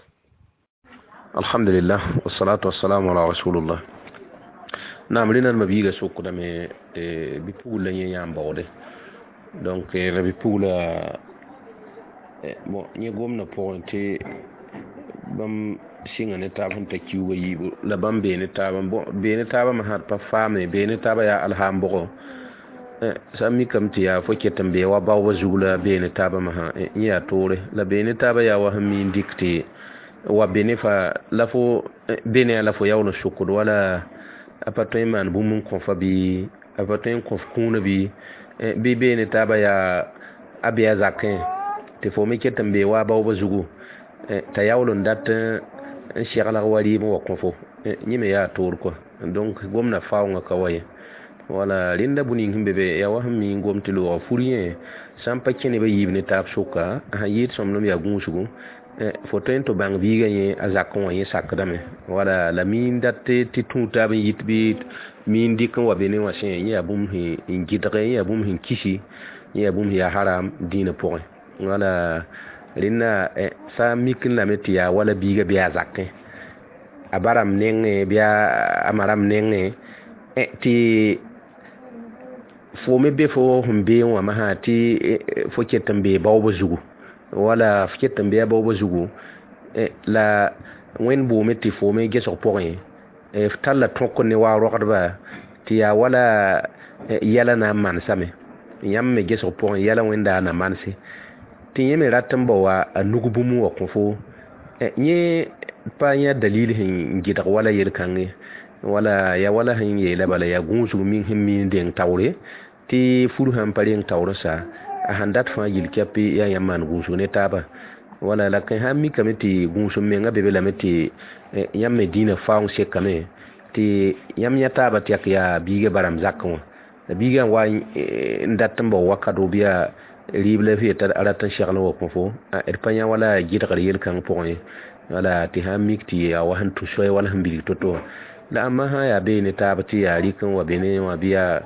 Alhamdulillah, wassalatu wassalamu ala rasulullah. Naam, rẽna ma biiga sokdame tɩ bi-pugl la yẽ yãam baoode donc la bi-pugla bon yẽ gomdã pʋgẽ tɩ bãmb sɩnga ne taab sẽn ta kiuugã yiibu la bãmb bee ne taabã bon bee ne taabã me sã d pa faame bee ne taabã yaa alhaam bʋgɔ sã n mikame tɩ yaa fo ket n bee wa baoobã zug la bee ne taabã masã yẽ yaa toore la bee ne taabã yaa wa sẽn mi n dɩk tɩ wa be ne fa la fo be ne la fo yaool n sokd wala a pa tõe n maan bũmb n kõ fa bɩ a pa tõe n kõ f kũunã bɩ bɩ bee ne taabã yaa a bee a zakẽ tɩ fo me ket n bee wa a baoobã zugu t'a yaool n dat n seglag wa rɩɩb n wa kõ fo yẽ me yaa toor kɔa donc gomdã faoongã ka wa ye wala rẽnda bũ ning sẽn be be yaa wa sẽn mi n gom tɩ loogã fur yẽ sã n pa kẽ nebã yiib ne taab sʋka sã yɩɩd sõmblem yaa gũusgu fo tõe n tɩ bãng biigã yẽ a zakẽ wã yẽ sakdame wala la mi n dat tɩ tũ taab n yit bɩ mi n dɩk n wa be ne wã sẽ yẽ yaa bũmb sẽn gɩdge yẽ yaa bũmb sẽn kisi yẽ yaa bũmb sẽn yaa haram dĩinã pʋgẽ wala rẽnda sã n mik n lame tɩ yaa wala biigã bɩ a zakẽ a ba rãmb nengẽ bɩ a ma rãmb nengẽ tɩ fo me be fo sẽn beẽ wã masã tɩ fo ket n bee baoobã zugu wala f ket n bee a baoobã zugu la wẽnd boome tɩ fo me gesg pʋgẽ f talla tõk ne wa rogdba tɩ yaa wala yɛla na n manesame yãmb me gesg pʋgẽ yɛla wẽnda na manse tɩ yẽ me rat n bao a nug bũmb n wa kõ fo yẽ Pa yã dalil sẽn gɩdg wala yel-kãngẽ wala ya wala sẽn yeela bala yaa gũusg ming sẽn miin deng taoore tɩ fur sãn pa reng taoor n sa a sãn dat fãa yil kɛp yaa yãmb maan gũusg ne taaba wala la kẽ sã n mikame tɩ gũusem menga be be lame tɩ yãmb me dĩinã faoong sekame tɩ yãmb yã taaba tɩ yak yaa biigã barame zakẽ wã la biigã n wa n dat n bao wakato bɩ yaa rɩɩb la f yeta a rat n segl n wa kõ fo d pa yã wala gɩdgr yel-kãng pʋgẽ ye wala tɩ sã n mik tɩ yaa wa sẽn tũ soay wala sẽn bilg to-to wã la ãmba sã yaa bee ne taab tɩ yaa rɩk n wa be ne wã bɩ yaa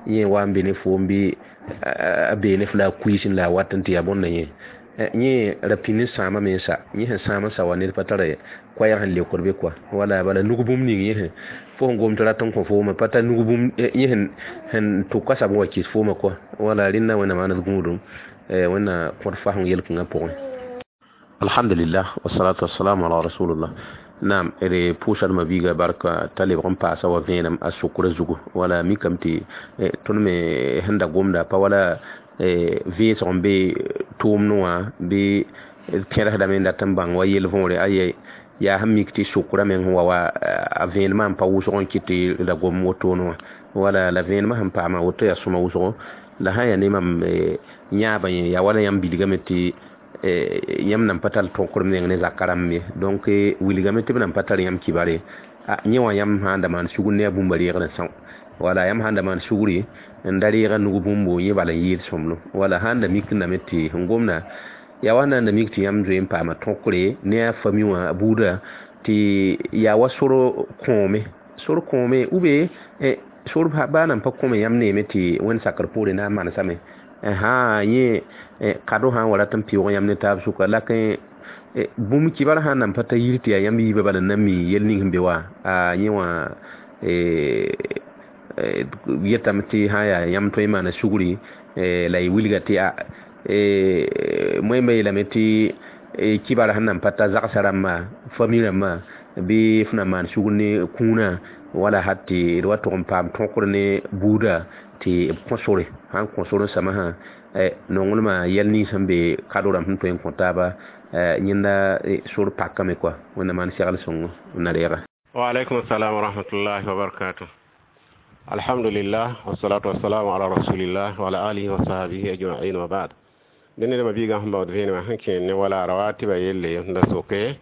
yẽ wa n be ne foom bɩ a bee ne f la a kuiisẽ la a wat n tɩ yaa bõnda yẽ yẽ ra pĩnd n sãama me n sa yẽ sẽn sãam n sa wa ned pa tara koɛɛg sẽn leokd be koa wala bala nug bũmb ning yẽ sẽn fo sẽn gom tɩ rat n kõ fooma pa tar nug bũmb yẽ sẽn sẽn tʋk a sab n wa kɩs fooma koa wala rẽnda wẽnnaam maan d gũudum wẽnna kõt fasẽng yel-kãngã pʋgẽ. Alhamdulillah, wasalatu wassalamu ala rasulillah. Naam, d pʋʋsdmã biiga barka t'a lebg n paasa wa vẽenem a sokrã zugu wala mikame tɩ tõnd me sẽn da gomda pa wala vẽesg n be tʋʋmdẽ wã bɩ d tẽrsdame n dat n bãng wa yel võore aye yaa sẽn mik tɩ sokrã meng sẽn wa wa a vẽenemã n pa wʋsg n kɩt tɩ da gom wotone wã wala la vẽenemã sẽn paama woto yaa sõma wʋsgo la sã n yaa ne mam yãabã yẽ yaa wala yãmb bilgame tɩ yãmb nan pa tar tõkr meng ne zaka rãmb ye donc wilgame tɩ b nan pa tar yãmb kibare yẽ wã yãmb sã n da maan sugr ne a bũmba reegr n são wala yãmb sã n da maan sugri n da reega nug bũmbo yẽ bala n yɩɩd sõmblem wala sã n da mikdame tɩ sẽn gomda yaa wa na n da mik tɩ yãmb zoe n paama tõkre ne a fami wã a buuda tɩ yaa wa sor kõome sor kõome ou bien sor baa nan pa kõme yãmb neeme tɩ wẽnd sakr poore na n manesame sã yẽ kado sã n wa rat n pɩʋʋg yãmb ne taab sʋka la kẽ bũmb kibar sã n nan pa ta yir tɩ yaa yãmb yiibã bala n na n mi yel ning sẽn be wa a yẽ wã yetame tɩ sã n yaa yãmb tõe n maana sugri la y wilga tɩ a moẽmba yeelame tɩ kibar sẽn nan pa ta zagsã rãmba fami rãmbã bɩ f na maan sugr ne kũunã wala hat tɩ d wa tʋg n paam tõkr ne buuda tɩ b kõ sore sãn kõ sor n samsã nonglmã yɛl nins sẽn be kado rãmb sẽn tõe n kõ taaba yẽnda sor pakame koa wẽnnaam maan segl sõngo n na reega. Wa alaikum assalam wa rahmatullahi wa barakatuh. Alhamdulillah, wassalatu wassalamu ala rasulillah wa ala alihi wa sahbihi ajma'in, wa ba'd. Dẽnd ma biigã sẽn baood vẽenemã sẽn kẽer ne wala rawatiba yelle n da soke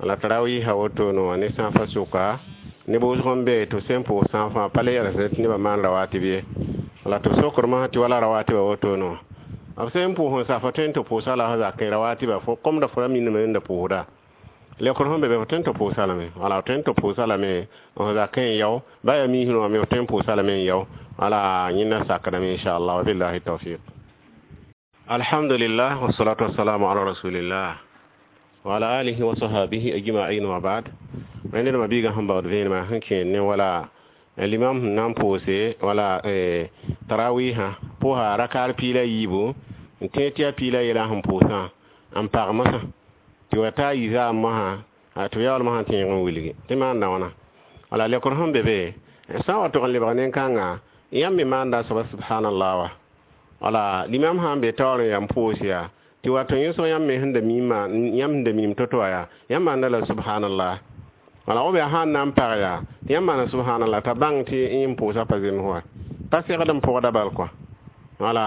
la tarawiisã wotoone wã ne sãafã sʋka neb wʋsg n be tɩ b sẽn pʋʋs sãafã pa le yɛls tɩ nebã maan rawatib ye la tɩ b sokdmã tɩ wala rawatiba wotone wã b sẽn pʋʋs n sa fo tõe n tɩ pʋʋsa la f zakẽ rawatiba fo komda fo ra mindame n da pʋʋsda lekr sẽn be be fo tõe n tɩ pʋʋsa lame wala f tõe n tɩ pʋʋsa lame f zakẽ n yao ba yaa miisẽ wã me f tõe n pʋʋsa lame n yao wala yẽnda sakdame inchallah wabillahi tawfiq. Alhamdulillah, wassalatu wassalamu ala rasulillah wa ala alihi wa sahbihi ajma'in, wa ba'd. Rẽnd ma biigã sẽn baood vẽenemã sẽn kẽer ne wala limam sẽn na n pʋʋse wala tarawihã pʋʋsa rakaar piig la yiibu n tẽeg tɩ yaa piig la yɛla sẽn pʋʋsã n pag mosã tɩ wa taa yi zaam mosã tɩ b yaool mosã tẽeg n wilgi tɩ maanda wãna wala lekr sẽn be be sã n wa tog n lebg nin-kãnga yãmb me maanda soaba subhanallah wa wala limam sã n be taoor n yaa n pʋʋs yaa tɩ wa tɩ yẽsg yãmb me sẽn da miimã yãmb sẽn da miim to-to wã yaa yãmb maanda la subhanallah wala b yaa sã n na n pag yaa tɩ yãmb maana subhanallah t'a bãng tɩ yẽ n pʋʋsã pa zems wa pa segd n pʋgda bal kɔa wala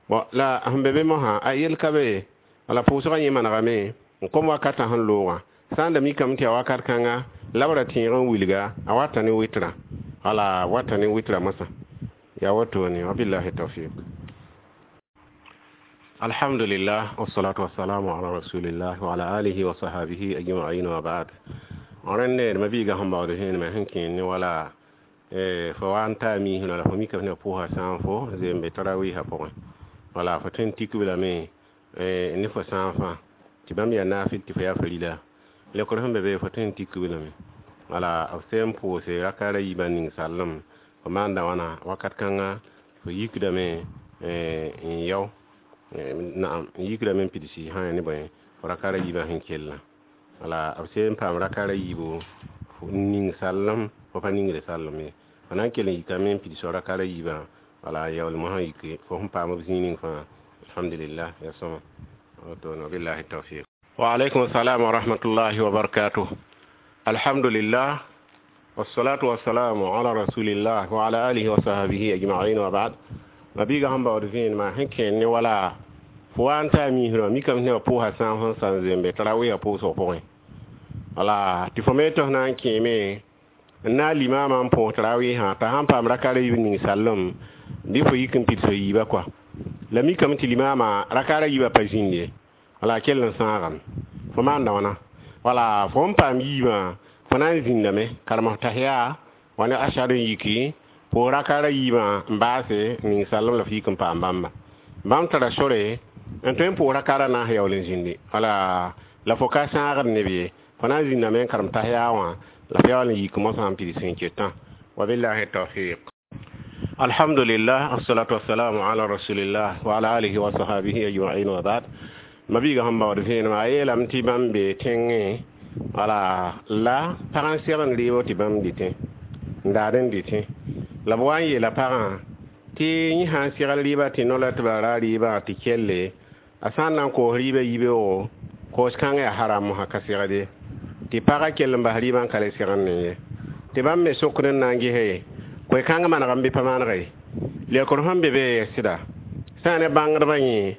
bon la sẽn be be mosã a yel ka be wala pʋʋsgã yẽ manegame n kom wakatã sẽn loogã sã n da mikame tɩ yaa wakat kãnga la b ra tẽeg n wilga a wata ne wɩtrã wala wata ne wɩtrã mosã yaa wotone wabillahi tawfiq. Alhamdulillah, wassalatu wassalamu ala rasulillah wa ala alihi wa sahbihi ajma'in, wa ba'd. Rẽnd ma biigã sẽn baood vẽenemã sẽn kẽer ne wala fo wa n taa miisẽ la fo mika ne pʋʋsa sãam fo zeem be tarawiisã pʋgẽ wala fo tõe n tik b lame ne fo sãafã tɩ bãmb yaa naafɩl tɩ fo yaa farila lekr sẽn be be fo tõe n tik b lame wala b sẽn pʋʋse rakaara yiibã ning sallem fo maanda wãna wakat kãnga fo yikdame n yao naam n yikdame n pidsi sã ne bõe fo rakaara yiibã sẽn kellã wala b sẽn paam rakaara yiibu n ning sallem fo pa ningd sallem ye fo na n kell n yikame n pids rakaara yiibã wala yaool mosã yike fo sẽn paam b zĩig ning fãa alhamdulillah ya sõma woto wabillahi tawfiq. Wa alaikum assalam wa rahmatullahi wa barakatuh. Alhamdulillah wassalatu wassalamu ala rasulillah wa ala alihi wa sahbihi ajma'in wa ba'd. Mabiga sẽn baood vẽenemã sẽn kẽer ne wala fo wa n taa miisrã mikame tɩ nebã pʋʋsa sãam sẽn sãn zembe t'a ra wɩa pʋʋsg pʋgẽ wala tɩ fo me tɩ f na n kẽeme n na n limaamã n põos tarawɩɩsã t'a sãn paam raka ra yiib ning sallem bɩ fo yik n pids fo yiibã kɔa la mikame tɩ limaamã raka ra yiibã pa zĩnd ye wala kell n sãagame fo maanda wãna wala fo n paam yiibã fo na n zĩndame karem f tahiya wa ne ashad n yiki pʋʋs raka ra yiibã n baase ning sallem la f yik n paam bãmba bãmb tara sore n tõe n pʋʋs raka ra naas yaool n zĩndi wala la fo ka sãagd neb ye fo na n zĩndame n karem tahiya wã la f yaool n yik mosã n pids sẽn ketã wabillahi tawfiq. Alhamdulillah assalatu wassalamu ala rasulillah wa ala alihi wa sahbihi ajma'in wa ba'd. Mabiiga sẽn baood vẽenemã a yeelame tɩ bãmb bee tẽngẽ wala la pag n segd n reebo tɩ bãmb dɩtẽ n daad n dɩtẽ la b wa n yeela pagã tɩ yẽ sã n segl rɩɩbã tɩ no-la tɩ ba ra rɩɩbã tɩ kelle a sã n na n koos rɩɩbã yibeoogo koos kãngã yaa haram mosã ka segd ye tɩ pagã kell n bas rɩɩbã n ka le segd ne ye tɩ bãmb me sokd n na n gese koe-kãngã manegame bɩ pa manega ye leokr sẽn be be yaa sɩda sã n ne bãngdbã yẽ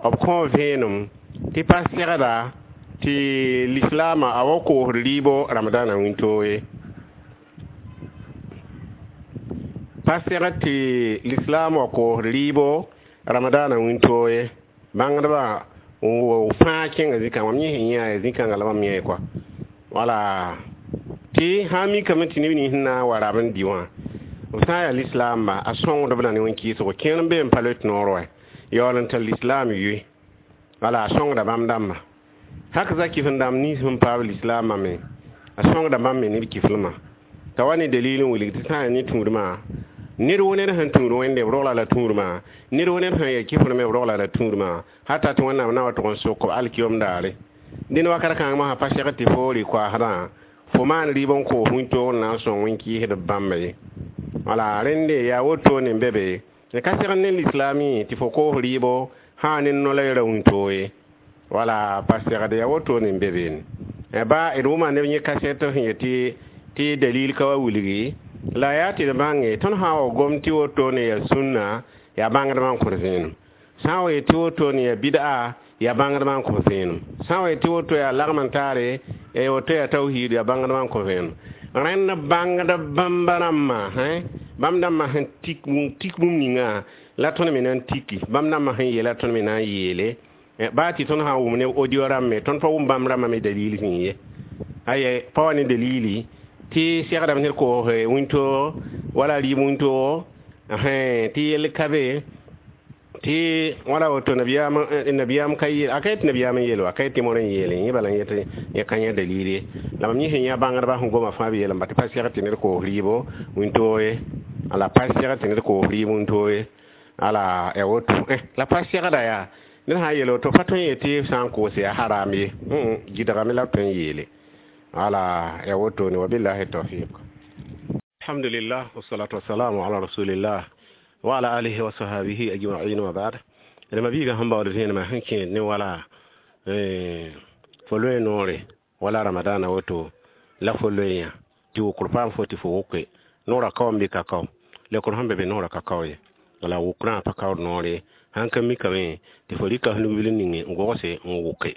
b kõ vẽenem tɩ pa segda tɩ lislaamã a wa koosd rɩɩbo ramadaanã wĩntoog ye pa segd tɩ lislaam wa koosd rɩɩbo ramadaanã wĩntoog ye bãngdbã fãa kẽnga zĩ-kãngã mam yẽ sẽn yã zĩ-kãngã la mam yẽ kɔa wala tɩ sã n mikame tɩ neb nins sẽn na n wa rab n dɩ wã b sã n yaa lislaamba a sõngdb la ne wẽn-kɩɩsgo kẽer n bee n pa loet noor wa yaool n tar lislaam yoe wala a sõngda bãmb dãmba hak za kɩf n dãmb nins sẽn paab lislaamã me a sõngda bãmb me neb kɩflmã t'a wa ne dalil n wilg tɩ sã n yaa ne tũudmã ned wo ned sẽn tũud wẽnde b rogla la tũudmã ned wo ned sẽn ya kɩfr me b rogla la tũudmã hata tɩ wẽnnaam na wa tʋg n sok b alkiyom daare dẽnd wakat kãng mosã pa segd tɩ fo rɩ-koaasdã fo maan rɩɩb n koos wĩntoog n na n sõng wẽn-kɩɩsdb bãmba ye wala rẽnde yaa wotone n be be n ka segd ne lislaamẽ tɩ fo koos rɩɩbo sã ne no-la ra wĩntoog ye wala pa segd yaa wotone n be beene ba d wʋma neb yẽ kasɛt sẽn yetɩ tɩ dalil ka wa wilgi la yaa tɩ d bãnge tõnd sã n wa gom tɩ wotone yaa sũnna yaa bãngdbã n kõt vẽenem sã n wa yet tɩ wotone yaa bid'a yaa bãngdbã n kõ vẽenem sã n wa yet tɩ woto yaa lagm n taare ya woto yaa tawhiid yaa bãngdbã n kõ vẽenem rẽnd bãngd bãmba rãmbã bãmb dãmbã sẽn tik tik bũmb ninga la tõnd me na n tiki bãmb dãmbã sẽn yeela tõnd me na n yeele baa tɩ tõnd sã n wʋm ne audio rãmbe tõnd pa wʋm bãmb rãmbã me dalil sẽn ye aye pa wa ne dalili tɩ segdame ned koos wĩntoog wala rɩɩb wĩntoog tɩ yell ka be tɩ wala woto nabiyaam nabiyaam ka yeel a ka yet nabiyaam n yeel wa ka yet tɩ moor n yeele yẽ bala yet yẽ ka yã dalil ye la mam yẽ sẽn yã bãngdbã sẽn goma fãa b yeelem ba tɩ pa segd tɩ ned koos rɩɩbo wĩntoog ye ala pa segd tɩ ned koos rɩɩb wĩntoog ye ala ya woto la pa segda yaa ned sã n yeel woto pa tõe n yetɩ sã n koos yaa haram ye gɩdgame la b tõe n yeele ala ya wotone wabillahi tawfiq. Alhamdulillah wassalatu wassalamu ala rasulillah wa ala alihi wa sahbihi ajma'in wa ba'd. D mabiiga sẽn baood vẽenemã sẽn kẽed ne wala fo loe noore wala ramadana woto la fo loe yã tɩ wʋkr paam fo tɩ fo wʋke noorã kaoom bɩ ka kao lekr sẽn be be noorã ka kao ye wala wʋkrã pa kaood noore sãn ka mikame tɩ fo rɩka f nugbil ninge n gogse n wʋke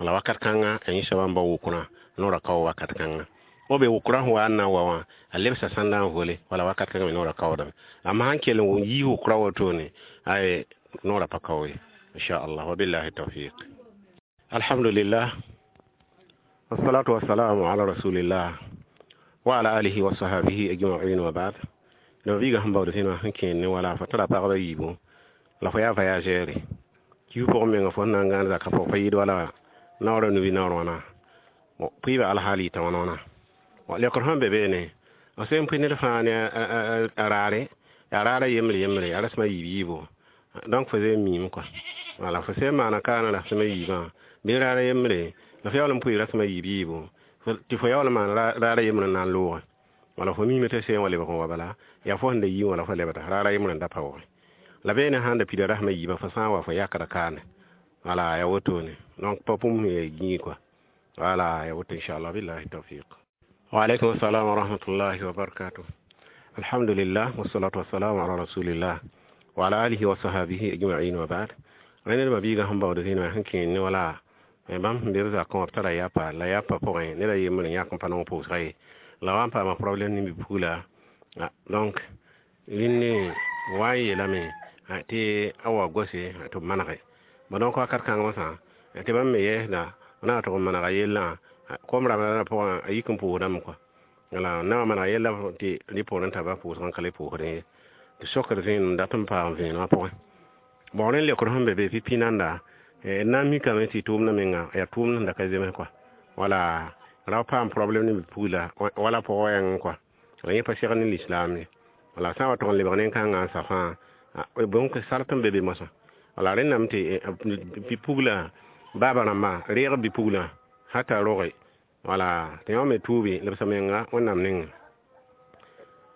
wala wakat kãnga a yẽ soaba n bao wʋkrã noorã kao wakat kãnga o be wʋkrã sẽn wa n na n wa wã a lebsa sãnda n vole wala wakat kãngã me noorã kaoodame amma sãn kell n yii wʋkrã wotone ay noorã pa kao ye inchallah wabillahi tawfiq. Alhamdulillah wassalatu wassalamu ala rasulillah wa ala alihi wa sahbihi ajma'in wa ba'd. La mabiiga sẽn baood vẽenemã sẽn kẽer ne wala fo tara pagba yiibu la fo yaa voyageur kiu pʋgẽ menga fo sẽn na n gãan zaka pʋg pa yɩɩd wala naoora nubi naoor wãna pʋɩɩba alhaal yɩta wãna wãna lekr sẽn be beene b sẽn pʋɩ ned fãa ne a raare yaa raara yembre yembre yaa rasẽma yiib yiibo donc fo zee n miime kɔa wala fo sẽn maana kaana rasẽma yiibã bɩ raara yembre la fo yaool n pʋɩ rasẽma yiib yiibo tɩ fo yaool n maan raara yembre n na n loogẽ wala fo miime tɩ seen wa lebg n wa bala yaa fo sẽn da yii wala fo lebda raara yembre n da pa wʋgẽ la beene sãn da pida rasẽma yiibã fo sã n wa fo yakda kaane Wala ya wotone donc pa bũmb sẽn yaa gĩig kɔa. Wala ya woto, inchallah, billahi tawfiq. Wa alaikum assalam wa rahmatullahi wa barakatuh. Alhamdulillah, wassalatu wassalamu ala rasulillah wa ala alihi wa sahabihi ajma'in, wa ba'd. Rẽnd ma biigã sẽn baood zĩnã sẽn kẽed ne wala bãmb sẽn be b zakẽ wã b tara yapa la yapa pʋgẽ ned a yembr n yãk n pa nong pʋʋsga ye la wa n paama problème ne bi-pugla. Donc rĩndẽ wa n yeelame tɩ a wa gose tɩ b manege. Bon, donc wakat kãng mosã tɩ bãmb me yɛɛsda na tʋg n manega yellã kom ramadanã pʋgã a yik n pʋʋsdame kɔa. Wala na wa manega yella tɩ rɩ poorẽ t'a ba pʋʋsg n ka le pʋʋsdẽ ye tɩ sokd vẽenem dat n paam vẽenemã pʋgẽ. Bon, rẽnd leokd sẽn be be pipi nanda d na n mikame tɩ tʋʋmdã menga yaa tʋʋmd sẽn da ka zems kɔa. Wala ra paam problème ne bi-pugla wala pʋgã yãng kɔa la yẽ pa segd ne lislaam ye. Wala sã n wa tʋg n lebg nin-kãngã n sa fãa bõn sart n be be mosã. Wala rẽndame tɩ bi-pugla baaba rãmba reeg bi-puglã hata roge wala tɩ yõ me tuubi lebs menga Wẽnnaam nengẽ.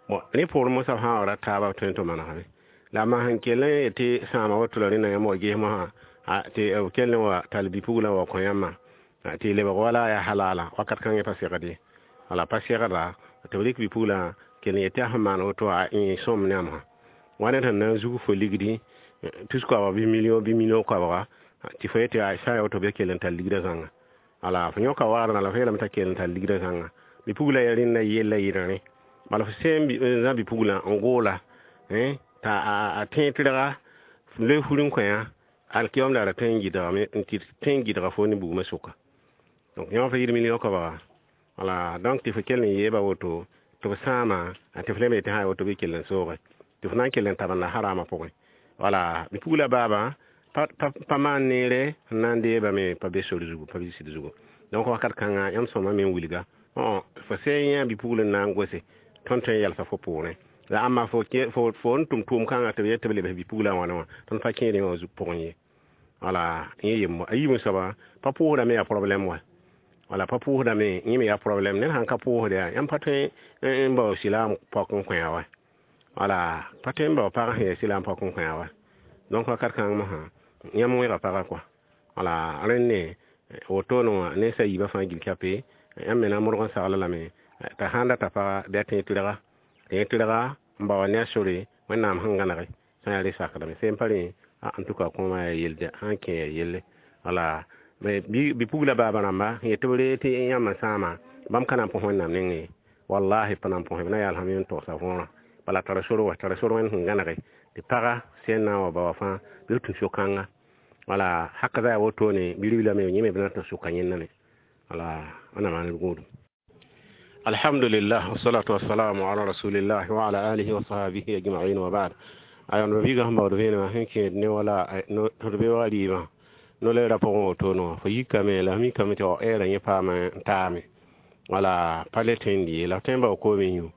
Bon, rẽ poorẽ mosã b sã n wa ra taaba tõe n tɩ manegame la ma sẽn kell n yetɩ sãama woto la rẽnda yãmb wa ges mosã tɩ b kell n wa tall bi-puglã wa kõ yãmbã tɩ lebg wala yaa halala wakat kãngẽ pa segd ye. Wala pa segda tɩ b rɩk bi-puglã kell n yetɩ a sẽn maan woto a sõm ne a mosã wa ned sẽn na n zug fo ligdi tus koabga bɩ million bɩ million koabga tɩ fo yetɩ sã n ya woto bɩ kell n tall ligdã zãnga. Wala fo yõka waadgã la fo yeelame t'a kell n tall ligdã zãnga bi-puglã yaa rẽnda yella yɩɩda rẽ. Bala fo sẽn zã bi-puglã n goola t'a a tẽeg tɩrga loe fur n kõ yã alkiyom la ra tõe n gɩdgame n tɩ tõe n gɩdga fo ne bugmã sʋka. Donc yõ fa yɩɩd million koabga. Wala donc tɩ fo kell n yeeba woto tɩ b sãama tɩ f leme tɩ sã ya woto bɩ kell n sooge tɩ f na n kell n tabenda harama pʋgẽ. Wala bi-pugla baaba pa maan neere n na n deebame pa be sor zugu pa be sɩd zugu. Donc wakat kãnga yãmb sõma me n wilga fo sẽn yã bi-pugl n na n gose tõnd tõe n yalsa fo poorẽ la ãmba fo fo n tʋm tʋʋm kãngã tɩ b yet tɩ b lebs bi-puglã wãna wã tõnd pa kẽed yẽ wã pʋgẽ ye. Wala yẽ yembo a yiibẽ soaba pa pʋʋsdame yaa problème wa. Wala pa pʋʋsdame yẽ me yaa problème ned sãn ka pʋʋsd yaa yãmb pa tõe n bao silaam pɔk n kõ wa. Wala pa tõe n bao pag sẽn yaa silaam pɔk n kõ wa. Donc wakat kãng mosã yãmb wẽga pagã kɔa. Wala rẽnd wotone wã nensa yiibã fãa gil kape yãmb me na n modg n sagla lame t'a sãn data paga bɩ a tẽeg tɩrga tẽeg tɩrga n bao ne a sore Wẽnnaam sẽn gãnege sã n yaa re sakdame sẽn pa rẽ en tout cas kõoma yaa yelde sãn kẽ yaa yelle. Wala bi-pugla baaba rãmba n yet tɩ b ree tɩ yãmb sãama bãmb ka na n põs Wẽnnaam nengẽ ye wallahi pa na n põs b na yaal sãm n togsa võorã. Bala tara sor wa tara sor Wẽnd sẽn gãnege tɩ paga sẽn na n wa ba wa fãa bɩ b tũ so-kãnga. Wala haka za yaa wotone bi-ribla me yẽ me b na n tɩ sʋka yẽnda me. Wala Wẽnnaam maan d gũudum. Alhamdulillah, wassalatu wassalamu ala rasulillah wa ala alihi wa sahbihi ajma'in, wa ba'd. Ayon ba biiga sẽn baood vẽenemã sẽn kẽed ne wala tɩ d be wa rɩɩbã no-leerã pʋgẽ wotone wã fo yikame la f mikame tɩ ɛɛrã yẽ paama n taame. Wala pa le tõe n dɩ ye la f tõe n bao koom n yũ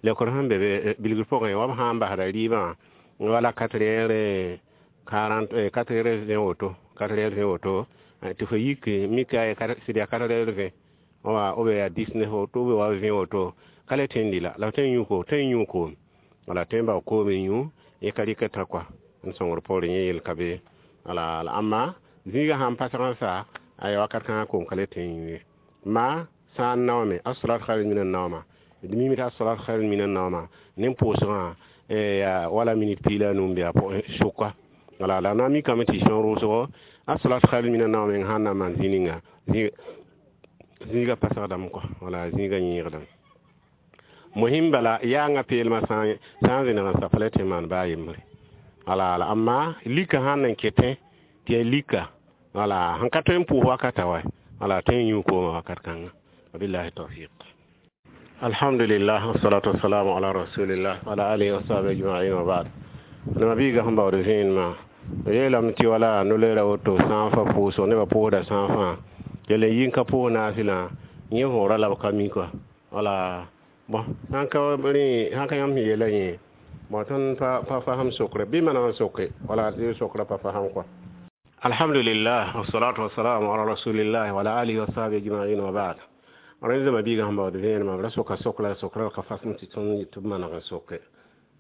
leokd sẽn be be bilgr pʋgẽ wa b sã n basda rɩɩbã wala quatre heures quarante, quatre heures vingt woto, quatre heures vingt woto tɩ fo yik mika sɩd yaa quatre heures vingt wa ou bien yaa dix-neuf woto ou bien wa vingt woto ka le tõe n dɩ la la f tõe n yũ ko tõe n yũ koom. Wala tõe n bao koom n yũ yẽ ka rɩk tã kɔa n sõngr poorẽ yẽ yel ka be. Wala la ãmba zĩigã sãn pasg n sa aya wakat kãngã koom ka le tõe n yũ ye ma sã n naoome as-salat khairun min an-nawma d mimi tɩ as-salat khairun min an-nawma ne pʋʋsgã wala minit piig la a nu n be a sʋka. Wala la na n mikame tɩ sẽn rʋʋsgo as-salat khairun min an-nawma meng sãn na n maan zĩ ninga zĩigã pasgdame kɔa. Wala zĩigã yẽegdame mohin bala yaanga peelmã sã n zẽneg n sa pa le tɩ n maan baa yembre. Wala la ãmba lika sãn n ketẽ tɩ yaa lika wala sẽn ka tõe n pʋʋs wakata wa wala tõe n yũ koomã wakat kãnga. Wabillahi tawfiq. Alhamdulillah, wassalatu wassalamu ala rasulillah wa ala alihi wa sahbihi ajma'in, wa ba'd. Nama biiga sẽn baood vẽenemã yeelame tɩ wala no-leerã woto sã n fa pʋʋsg nebã pʋʋsda sã n fãa kell n yi n ka pʋʋs naasɩlã yẽ võora la b ka mi kɔa. Wala bon sãn ka rẽ sãn ka yãmb sẽn yeela yẽ bon tõnd pa pa fasem sokre bɩ maneg n soke wala tɩ sokra pa fasem kɔa. Alhamdulillah, wassalatu wassalamu ala rasulillah wa ala alihi wa sahbihi ajma'in, wa ba'd. Rẽnd zãma biigã sẽn baood vẽenemã b ra soka sokra sokra ka fasem tɩ tõnd tɩ b maneg n soke.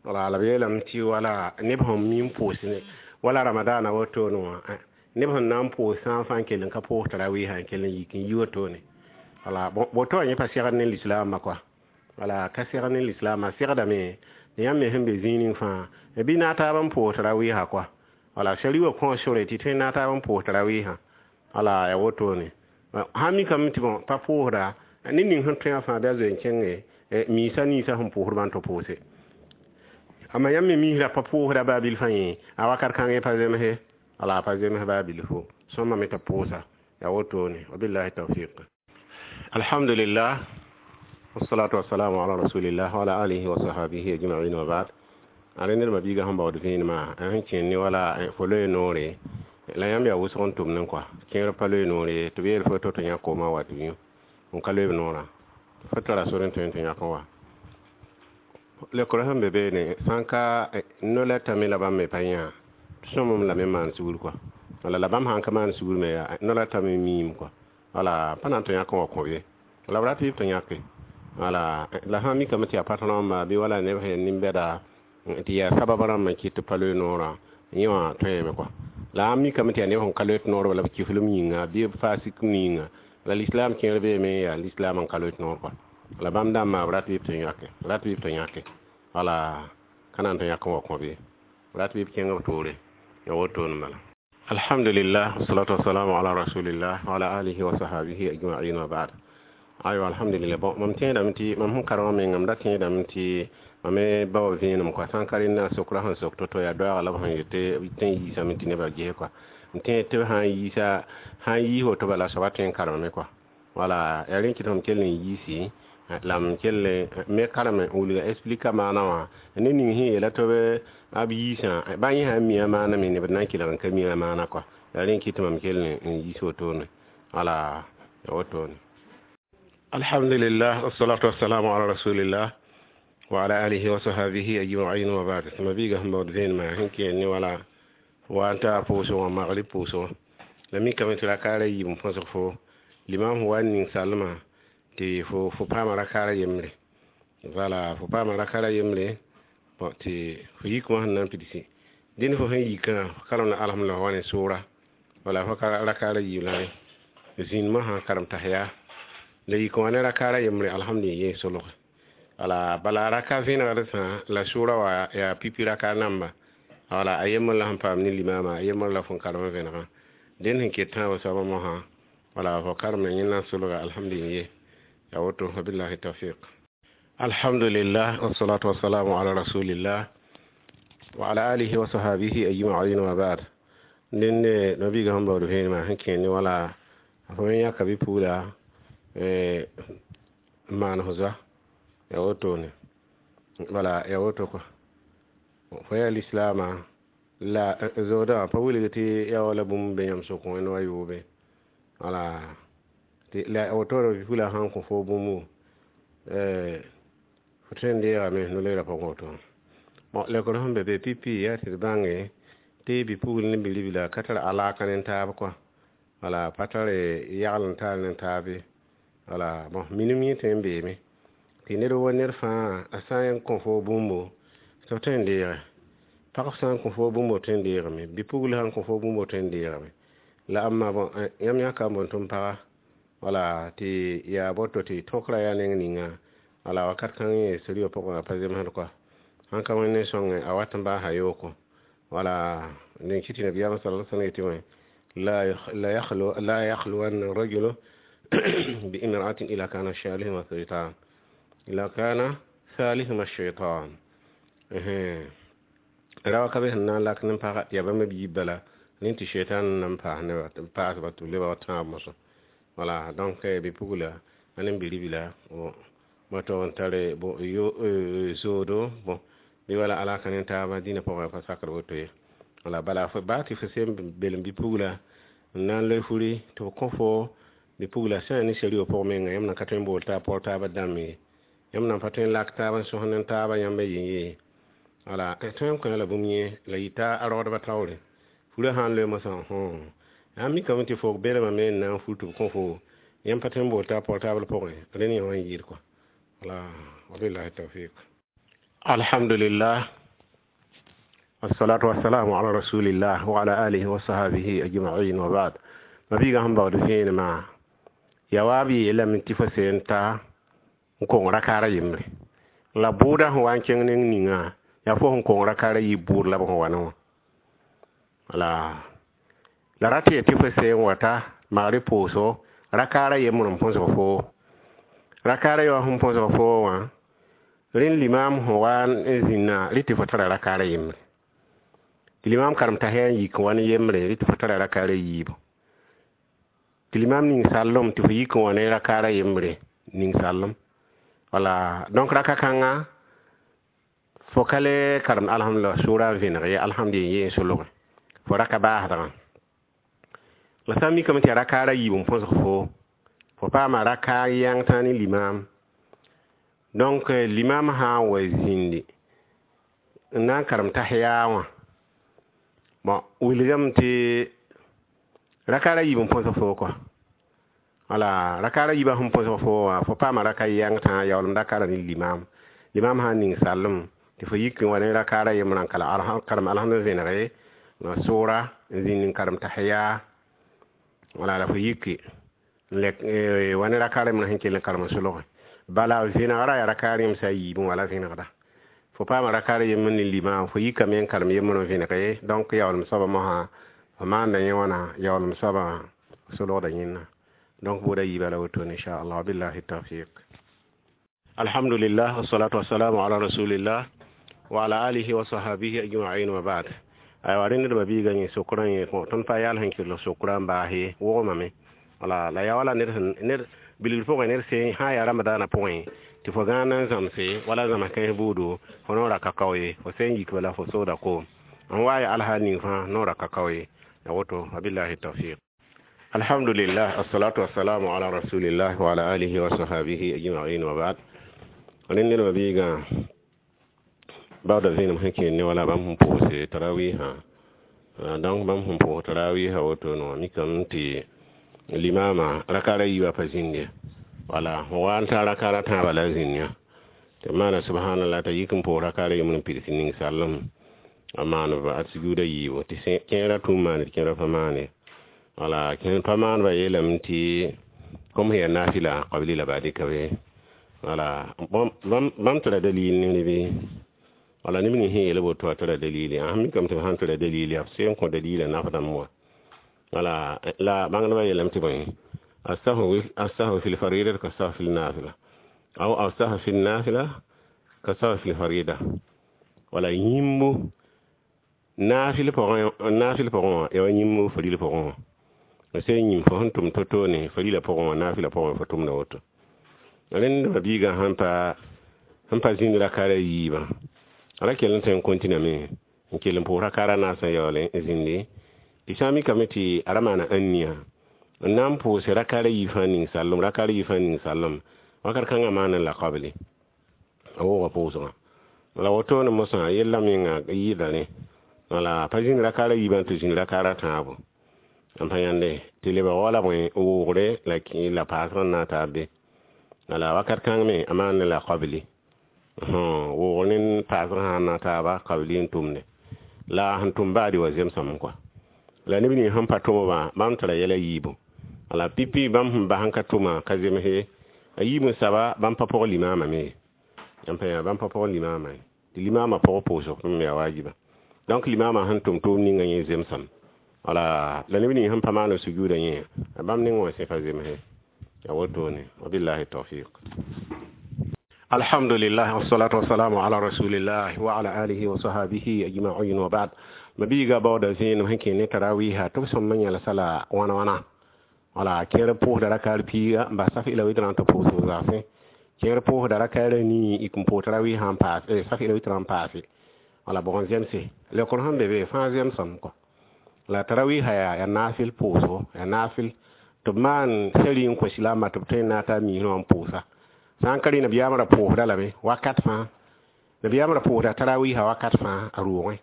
Wala la b yeelame tɩ wala neb sẽn mi n pʋʋs ne wala ramadana wotone wã Neb sẽn na n pʋʋs sã n fãa n kell n ka pʋʋs tarawɩɩsã n kell n yik n yi wotone. Wala woto wã yẽ pa segd ne lislaambã kɔa. Wala ka segd ne lislaambã, segdame tɩ yãmb me sẽn be zĩig ning fãa bɩ naag taab n pʋʋs tarawɩɩsã kɔa. Wala sari wã kõ sore tɩ tõe n naag taab n pʋʋs tarawɩɩsã. Wala yaa wotone. Sãn mikame tɩ bõ pa pʋʋsda, ned ning sẽn tõe wã fãa bɩ a zoe n kẽnge miisa ninsã sẽn pʋʋsdbã n tɩ pʋʋse. Amma yãmb me misra pa pʋʋsda baa bilfã yẽ a wakat kãngẽ pa zemse. Wala pa zems baa bilfo. Sõma me t'a pʋʋsa. Yaa wotone. Wabillahi tawfiq. Alhamdulillah. Wassalatu wassalamu ala rasulillah wa ala alihi wa sahbihi ajma'in wa ba'd. Are ned ma biiga sẽn baood vẽenemã sẽn kẽnd ne wala fo loe noore la yãmb yaa wʋsg n tʋm ne kɔa. Kẽer pa loe noore tɩ b yeel fo to tɩ yã koomã wa tɩ yũ n ka loe b noorã. Fo tara sor n tõe n tɩ yãk n wa. Lekr sẽn be beene sã n ka no la tame la bãmb me pa yã sõmem lame n maan sugr kɔa. Wala la bãmb sãn ka maan sugr me yaa no la tame miim kɔa. Wala pa na n tɩ yãk n wa kõ ye. La b rat tɩ b tɩ yãke. Wala la sã n mikame tɩ yaa patron bɩ wala neb sẽn nin-bɛda tɩ yaa sabab rãmb n kɩt tɩ pa loe noorã yẽ wã tõeme kɔa. La a mikame tɩ yaa neb sẽn ka loe noor wala b kiflem yĩnga bɩ b fasik yĩnga. La lislaam kẽer beeme yaa lislaam n ka loe noor kɔa. La bãmb dãmbã b rat bɩ b tɩ yãke, rat bɩ b tɩ yãke. Wala ka na n tɩ yãk n wa kõ be. Rat bɩ b kẽng b toore. Ya wotone bala. Alhamdulillah, wassalatu wassalamu ala rasulillah wa ala alihi wa sahbihi ajma'in wa ba'd. Aywa, alhamdulillah. Bon, mam tẽedame tɩ mam sẽn karemã mengame da tẽedame tɩ mam me bao vẽenem kɔa. Sã n ka rẽndã sokra sẽn sok to-to yaa doaaga la b sẽn yetɩ tɩ n yiisame tɩ nebã ges kɔa. N tẽed tɩ b sã n yiisa sã n yiis woto bala soaba tõe n karemame kɔa. Wala yaa rẽ kɩ tɩ m kell n yiisi la m kell me karem n wilga explika maana wã ned ning sẽn yeela tɩ b yiisã bã yẽ sã n mi a maana me neb na n kelg n ka mi a maana kɔa. Yaa rẽ kɩ tɩ mam kell n yiis wotone. Wala yaa wotone. Alhamdulillah, wassalatu wassalamu ala rasulillah wa ala alihi wa sahbihi ajma'in wa ba'd. Ma biiga sẽn baood vẽenemã sẽn kẽer ne wala wa n taa pʋʋsg wã magrib pʋʋsg. La mikame tɩ rakaara yiib n põsg fo limam sẽn wa n ning salmã tɩ fo fo paama rakaara yembre. Wala fo paama rakaara yembre bon tɩ fo yik wã sẽn na n pidsi. Dẽnd fo sẽn yikã fo karem la alhamdulillah wa ne sʋʋra. Wala fo rakaara yiib la rẽ. Zĩnd mosã karem tasya. La yik wã ne rakaara yembre alhamdulillah yee solge. Wala bala raka vẽnegd sã la sʋʋra wã yaa pipi raka namba. Wala a yembr la sẽn paam ne limama a yembr la fõn karem vẽnegã. Dẽnd sẽn ket tãabã soabã mosã wala fo karem la yẽnda n solga alhamdulillah ye. Ya woto, wabillahi tawfiq. Alhamdulillah, wassalatu wassalamu ala rasulillah wa ala alihi wa sahbihi ajma'in wa ba'd. Dẽnd nabiiga sẽn baood vẽenemã sẽn kẽer ne wala fo yãka bɩ-pugla n maan fo zoa. Ya wotone. Wala ya woto kɔa. Fo yaa lislaamã la zoodã wã pa wilg tɩ yaa wala bũmb be yãmb sʋkẽ wẽnd wa yoobe. Wala la wotore bɩ-pugla sã n kõ fo bũmbu fo tõe n deegame no-leerã pʋgẽ woto. Bon, lekr sẽn be be pipi yaa tɩ d bãnge tɩ bɩ-pugl ne bi-ribla ka tar alaka ne taab kɔa. Wala pa tar yagl n tar ne taab ye. Wala bon minim yẽ tõe n beeme tɩ ned wa ned fãa a sã n kõ fo bũmbu tɩ f tõe n deege. Pag sã n kõ fo bũmbu tõe n deegame. Bɩ-pugl sã n kõ fo bũmbu tõe n deegame. La amma bon yãmb yãka n boond tɩ m paga wala tɩ yaa boto tɩ tõkrã yaa neng ninga wala wakat kãng yẽ sari wã pʋgẽ a pa zemsd kɔa. Sãn ka Wẽnd sõnge a wat n baasa yooko. Wala dẽn kɩ tɩ nabiyaamã sallallahu alaihi wasallam yetɩ wã la yakhlu la yakhluwanna rajulu bi imra'atin ila kana shalihuma shaytan ila kana salihuma shaytan. Rawa ka be sẽn na n lak ne pagã tɩ yaa bãmb b yiib bala rẽ tɩ shaytan nan paas neba paasba tɩ b leba wa tãab mosã. Wala donc bɩ-pugla a ne bi-ribla woto n tare bon yo zoodo bon bɩ wala alaka ne taabã dĩnã pʋgẽ pa sakd woto ye. Wala bala fo baa tɩ fo sem belem bɩ-pugla n na n loe furi tɩ f kõ fo bɩ-pugla sã n ne sari wã pʋgẽ menga yãmb na ka tõe n bool taab paoor taabã dãmb ye. Yãmb na pa tõe n lak taab n sõs ne taabã yãmb yen ye. Wala tõe n kõ la bũmb yẽ la yita a raoodbã taoore. Furã sã n loe mosã sã n mikame tɩ fo belmame n na n fur tɩ b kõ fo yãmb pa tõe n bool taab paoor taabr pʋgẽ rẽnd yẽ wã n yɩɩd kɔa. Wala wabillahi tawfiq. Alhamdulillah. الصلاة والسلام على رسول الله وعلى آله وصحبه أجمعين وبعد. Mabiiga sẽn baood vẽenemã yaa wa b yeelame tɩ fo seen ta n kong rakaara yembre la bʋʋda sẽn wa n kẽng neng ninga yaa fo sẽn kong rakaara yiib bʋʋd la b sẽn wa ne wã la la rat yetɩ fo seen wata magre pʋʋso rakaara yembr n põsg foo rakaara ya sẽn põsg foo wã rẽnd limam sẽn wa n zĩnna rɩ tɩ fo tara rakaara yembre tɩ limam karem tasa n yik n wa ne yembre rɩ tɩ fo tara rakaara yiibu tɩ limam ning sallem tɩ fo yik n wa ne rakaara yembre ning sallem wala donc raka kãnga fo ka le karemd alhamdulillah sʋʋra n vẽneg ye alhamd yen yeen solge fo raka baasdgã la sã n mikame tɩ ya rakaara yiib n põsg fo fo paama raka yãng tã ne limam donc limam sã n wa zĩndi n na n karem tasa wã bon wilgame tɩ rakaara yiib n põsg fo kɔa wala rakaara yiibã sẽn põsg fo wã fo paama raka yãng tã yaoolem rakaara ne limam limam sã n ning sallem tɩ fo yik n wa ne rakaara yembrã n karem alhamd vẽnege la sʋʋra n zĩnd n karem tasa wala la fo yiki n lɛk wa ne rakaara yembrã sẽn kell n karem n solge bala vẽnegrã yaa rakaar yẽmsã yiibẽ wala vẽnegda fo paama rakaar yembr ne limam fo yikame n karem yembr n vẽnege donc yaoolem soabã mosã fo maanda yẽ wãna yaoolem soabã solgda yẽnna donc bʋʋda yiibã la wotone inchallah billahi tawfiq. Alhamdulillah wassalatu wassalamu ala rasulillah wa ala alihi wa sahbihi ajma'in wa ba'd. Aywa rẽnd ned biiga yẽ sokrã yẽ tõnd pa yaal sẽn kell sokrã n baase wogmame wala la yaa wala ned ned bilgr pʋgẽ ned sẽn sã n yaa ramadaanã pʋgẽ tɩ fo gãan n zãmse wala zãms kãens buudu fo noora ka kao ye fo sẽn yik bala fo sooda koom n wa ya alhaal ning fãa noora ka kao ye ya woto wabillahi tawfiq. Alhamdulillah assalatu wassalamu ala rasulillah wa ala alihi wa sahbihi ajma'in wa ba'd. Rẽnd ned biiga baoodã vẽenem sẽn kẽer ne wala bãmb sẽn pʋʋse tarawiisã donc bãmb sẽn pʋʋs tarawiisã woto no mikame tɩ limama rakaara yiibã pa zĩnd wala fo wa n taa rakaara tãabã la zĩnd yã tɩ maana subhanallah t'a yik n pʋʋs rakaara yembr n pids ning sallem a maan a sujuuda yiibu tɩ kẽerã tũum maane tɩ kẽerã pa maane wala kẽer pa maanba yeelame tɩ kom sẽn yaa nafila qabli la baadi ka be wala bãmb tara dalil ne bɩ wala neb ning sẽn yeel woto a tara dalili a mikame tɩ b sãn tara dalili b sẽn kõ dalila nafdãmb wã wala la bãngdbã yeelame tɩ bõe السهو في الفريضة كالسهو في النافلة أو السهو في النافلة كالسهو في الفريضة wala yĩmbu naafɩl pʋgẽ naafɩl pʋgẽ wã yaa wa yĩmbu faril pʋgẽ wã sẽn yĩm fo sẽn tʋm to-to ne farila pʋgẽ wã naafɩla pʋgẽ fo tʋmda woto rẽnd mabiigã sẽn pa sẽn pa zĩnd rakaara yiibã ra kell n tõe n kõtiname n kell n pʋʋs rakaara naasã yaool n zĩndi tɩ sã n mikame tɩ a ra maana ãnniya n na n pʋʋse rakaara yiib fãa ning sallem rakaara yiib fãa ning sallem wakat kãngã maane la qabli a wooga pʋʋsgã la wotone mosã yella menga yɩɩda rẽ wala pa zĩnd rakaara yiibã tɩ zĩnd rakaara tãabo n pa yãnde tɩ lebg wala bõe woogre la la paasg n na n taa be wala wakat kãng me a maan la qabli woogr ne paasg sã n na taaba qabli n tʋmde la sẽn tʋm baadi wa zemsame kɔa la neb ning sẽn pa tʋmba bãmb tara yɛla yiibu wala pipi bãmb sẽn bas n ka tʋma ka zemse a yiib n saba bãmb pa pʋg limaamã me n pa yã bãmb pa pʋg limaamã ye tɩ limaamã pʋg pʋʋsg me yaa waajiba donc limaamã sẽn tʋm tʋʋm ninga yẽ zemsame wala la neb ning sẽn pa maan sujuuda yẽ bãmb neng wã sẽ pa zemse ya wotone wabillahi tawfiq. Alhamdulillah wassalatu wassalamu ala rasulillah wa ala alihi wa sahbihi ajma'in wa ba'd. Mabiiga baooda zẽenem sẽn kẽ ne tarawiisã tɩ b sõm yãl sala wãna wãna wala kẽer pʋʋsda rakaar piiga n bas saf ila wɩtrã tɩ pʋʋsg zagsẽ kẽer pʋʋsda rakaara nii ik n pʋʋs tarawiisã n paase saf ila wɩtrã n paase wala bʋg n zemse leokr sẽn be be fãa zemsame kɔ la tarawiisã yaa yaa naafɩl pʋʋsgo yaa naafɩl tɩ b maan sari n kõ silaamã tɩ b tõe n na n taa miisẽ wã n pʋʋsa sã n ka rẽ nabiyaamã ra pʋʋsda lame wakat fãa nabiyaamã ra pʋʋsda tarawiisã wakat fãa a roogẽ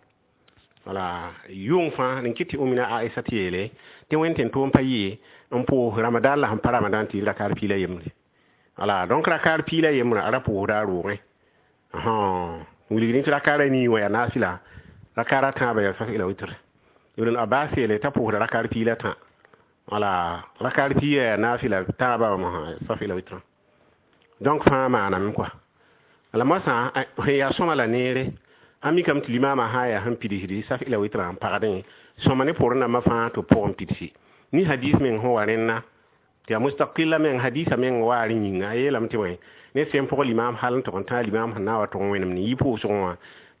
wala yʋng fãa n kɩt tɩ Umina Aisha tɩ yeele tɩ wẽnd tɩ tʋʋm pa yɩ n pʋʋs ramadan la sẽn pa ramadan tɩ yɩ rakaar piila yembre wala donc rakaar piila yembrã a ra pʋʋsda a roogẽ wilgd tɩ rakaara nii wã yaa naafɩla Rakara tãabã yaa saf ila witr. Ibn Abbas yeele t'a pʋʋsda rakar pii la tã. Wala rakar pia yaa naafɩla tãabã wã mosã saf ila witrã. Donc fãa maaname kɔa. La moasã sẽn yaa sõma la neere a mikame tɩ limaamã sã n yaa sẽn pidsdi saf ila witrã n pagdẽ sõma ne pʋʋr rãmbã fãa tɩ b pʋgẽ pidsi. Ni hadis meng sẽn wa rẽnna tɩ yaa mustaqila meng hadisa meng waa rẽ yĩnga a yeelame tɩ bõe ne sẽn pʋg limaam hal n tʋg n tã limaam sẽn na n wa tʋg n wẽnem ne yi pʋʋsgẽ wã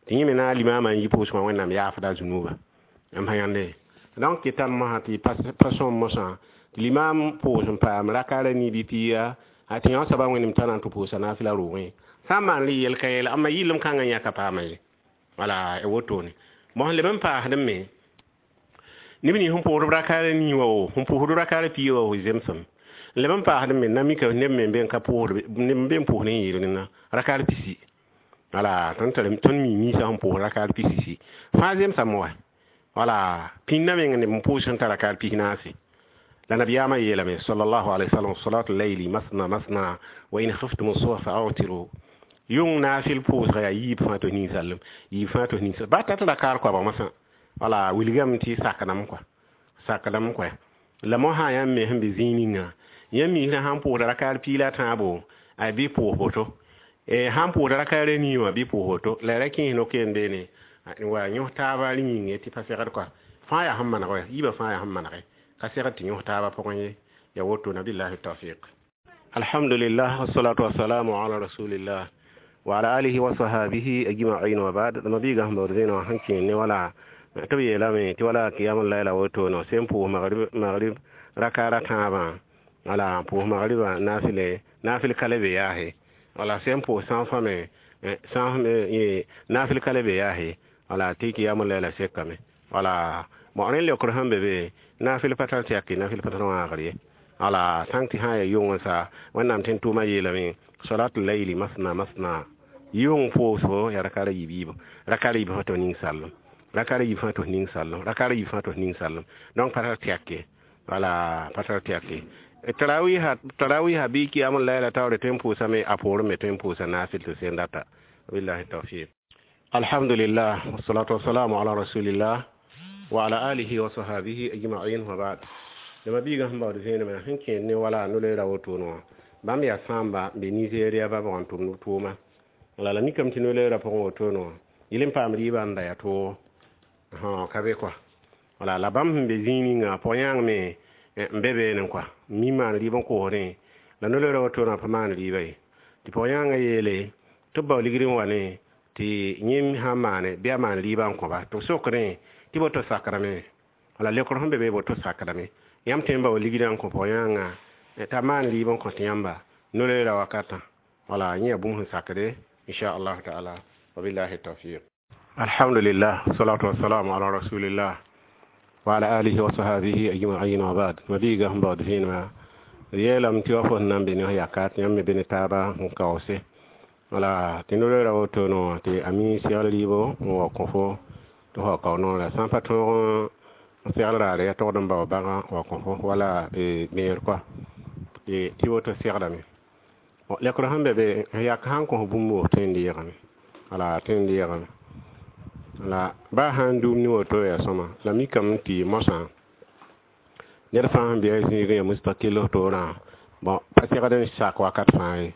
tɩ yẽ me na limaamã n yi pʋʋsgã wẽnnaam yaafda a zunuuba m sã yãnde. Donc tɩ mosã tɩ pa sõm mosã tɩ limaam pʋʋs n paam rakara nii bɩ pia a tɩ yõ soaba wẽnem t'a na n tɩ pʋʋsa naafɩla roogẽ sã n maan rɩ yel ka yɛla amma yɩlem kãngã yãka paama ye. Wala wotone bõn sẽn leb n paasdẽ me neb nins sẽn pʋʋsd rakara nii wa wo sẽn pʋʋsd rakara pia wa wo zemsem n leb n paasdẽ me na mika neb me n ka pʋʋsd neb n be n pʋʋsd n yɩɩd rẽnna rakar pisi. Wala tõnd tar tõnd mi ninsã sẽn pʋʋs rakar pisi si fãa zemsame wa. Wala pĩndã meng neb n pʋʋs sẽn tar rakar pis naase. La nabiyaamã yeelame sallallahu alayhi wa sallam salatu layli masna masna wa in khiftum as-subha fa'awtiru. Yʋng naafɩl pʋʋsga yaa yiib fãa tɩ ninsaalem yiib fãa tɩ ninsaalem ba tat rakar koabg mosã. Wala wilgame tɩ sakdame kɔa sakdame kɔa la mosã yãmb me sẽn be zĩig ninga yãmb misrã sãn pʋʋsda rakar pii la tãabo ay bɩ pʋʋs boto sãn pʋʋsda rakar a nii wã bɩ pʋʋs woto la ra kẽes no-keem beene wa yõs taaba rẽ yĩnge tɩ pa segd kɔa fãa yaa sẽn maneg wɛ yiibã fãa yaa sẽn manege ka segd tɩ yõs taaba pʋgẽ ye ya wotona billahi tawfiq. Alhamdulillah wassalatu wassalamu ala rasulillah wa ala alihi wa sahabihi ajma'in wa ba'd. Mabiiga sẽn baood zẽenã wã sẽn kẽer ne wala tɩ b yeelame tɩ wala qiyamul layla wotono sẽn pʋʋs magrib magrib rakara tãabã wala pʋʋs magribã naafɩle naafɩl ka le be yaase wala sẽn pʋʋs sãn me sãn naafɩl ka le be yaase wala tɩ qiyamul layla sekame wala bon rẽnd leokr sẽn be be naafɩl pa tar tɩ yake naafɩl pa tar wãagr ye wala sãn tɩ sã n yaa yʋng sa wẽnnaam tẽn tʋʋmã yeelame salatul layli masna masna yʋng pʋʋsgo yaa rakara yiib yiibo rakara yiib fãa tɩ ning-sallem rakara yiib fãa tɩ ning-sallem rakara yiib fãa tɩ ning-sallem donc pa tar tɩ yake wala pa tar tɩ yake tarawiha tarawiha bɩ qiyamul layla taoore tõe n pʋʋsame a poorẽ me tõe n pʋʋsa naafɩl tɩ sẽn data billahi tawfiq. Alhamdulillah wassalatu wassalamu ala rasulillah wa ala alihi wa sahabihi ajma'in wa ba'd. Dama biiga sẽn baood zẽenemã sẽn kẽer ne wala no-loeera wotone wã bãmb yaa sãamba n be Nigeria ba bʋg n tʋmd tʋʋma la la mikame tɩ no-loeerã pʋgẽ wotone wã yɩl n paam rɩɩbã n da yaa toogo ka be kɔa wala la bãmb sẽn be zĩig ninga pʋg-yãang me n be beene kɔa mi maan rɩɩb n koosdẽ la no-loeerã wotone pa maan rɩɩba ye tɩ pʋg-yãangã yeele tɩ b bao ligd n wa ne tɩ yẽmb sã n maane bɩ a maan rɩɩbã n kõba tɩ b sokdẽ tɩ boto sakrame wala leokr sẽn be be boto sakrame yãmb tõe n bao ligdã n kõ pʋg-yãangã t'a maan rɩɩb n kõ tɩ yãmba no-loeerã wakatã wala yẽ yaa bũmb sẽn sakde inchallahu taala wabillahi tawfiq. Alhamdulillah wassalatu wassalamu ala rasulillah wa ala alihi wa sahabihi ajma'in wa ba'd. Mabiiga sẽn baood vẽenemã yeelame tɩ wa fo sẽn na n be ne f yaka tɩ yãmb me be ne taaba n kaoose wala tɩ no-loeerã wotone wã tɩ a mi segl rɩɩbo n wa kõ fo tɩ f wa kao noorã sã n pa tõog n segl raare yaa togd n bao bãgã wa kõ fo wala beer kɔa tɩ woto segdame lekr sẽn be be yak sãn kõ bũmb wo tõe n deegame wala tõe n deegame la baa sãn dũum ne woto yaa sõma la mikame tɩ mosã ned fãa sẽn be a zĩigẽ yaa mustakil f toorã bon pa segd n sak wakat fãa ye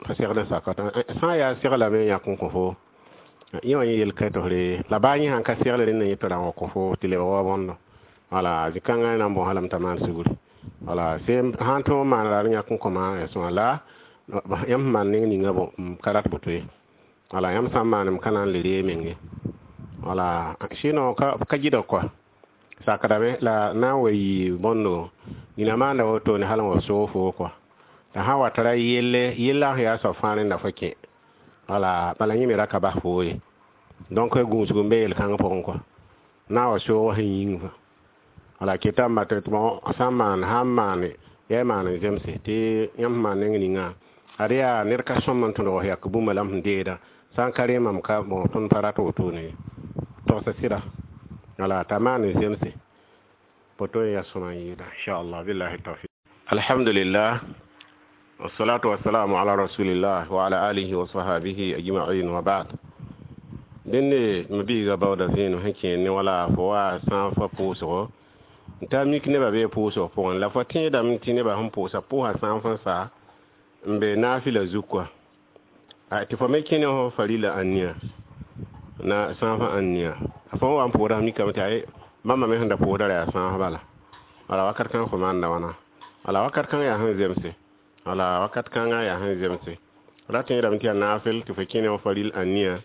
pa segd n sak sã n yaa seglame yãk n kõ fo yẽ wã yẽ yel ka tɩ f re la baa yẽ sãn ka segl rẽnd yẽ tɩ ra n wa kõ fo tɩ lebg wa bõndo wala zĩ-kãngã na n bõs lame t'a maan sugri wala sẽn sãn tõog n maan raar yãk n kõma yaa sõma la yãmb sẽn maan neng ninga bõ m ka rat boto ye wala yãmb sã n maan m ka na n le ree menge wala sinon ka ka gɩdg kɔa sakdame la na n wa yɩ bõndo nina maanda wotone hal n wa soog foo kɔa la sã n wa tara yelle yellã sẽn yaa soab fãa rẽnda fo kẽ wala bala yẽ me ra ka bas foo ye donc gũusg n be yel-kãng pʋgẽ kɔa na n wa soog sẽn yĩng fã wala ketame tɩ sã n maan sã n maane yaa maan n zemse tɩ yãmb sẽn maan neng ninga ad yaa ned ka sõm n tõdg yak bũmba la m sẽn deeda sã n ka rẽ mam ka bon tõnd pa rat wotone ye togsa sɩda wala t'a maan n zemse poto yaa sõma n yɩɩda inchallah billahi tawfiq. Alhamdulillah wassalatu wassalamu ala rasulillah wa ala alihi wa sahabihi ajma'in wa ba'd. Dẽnde m biiga baooda vẽenem sẽn kẽer ne wala fo wa sã fa pʋʋsgo n ta mik nebã bee pʋʋsg pʋgẽ la fo tẽedame tɩ nebã sẽn pʋʋsa pʋʋsa sãn fõn sa n be naafɩla zug kɔa tɩ fo me kẽ ne fo farila ãnnia na sãafã ãnnia fo wa n pʋʋda mikame tɩ ay bãmba me sẽn da pʋʋsda ra yaa sãaf bala wala wakat kãng fo maanda wãna wala wakat kãng yaa sẽn zemse wala wakat kãngã yaa sẽn zemse ra tẽedame tɩ yaa naafɩl tɩ fo kẽ ne fo faril ãnnia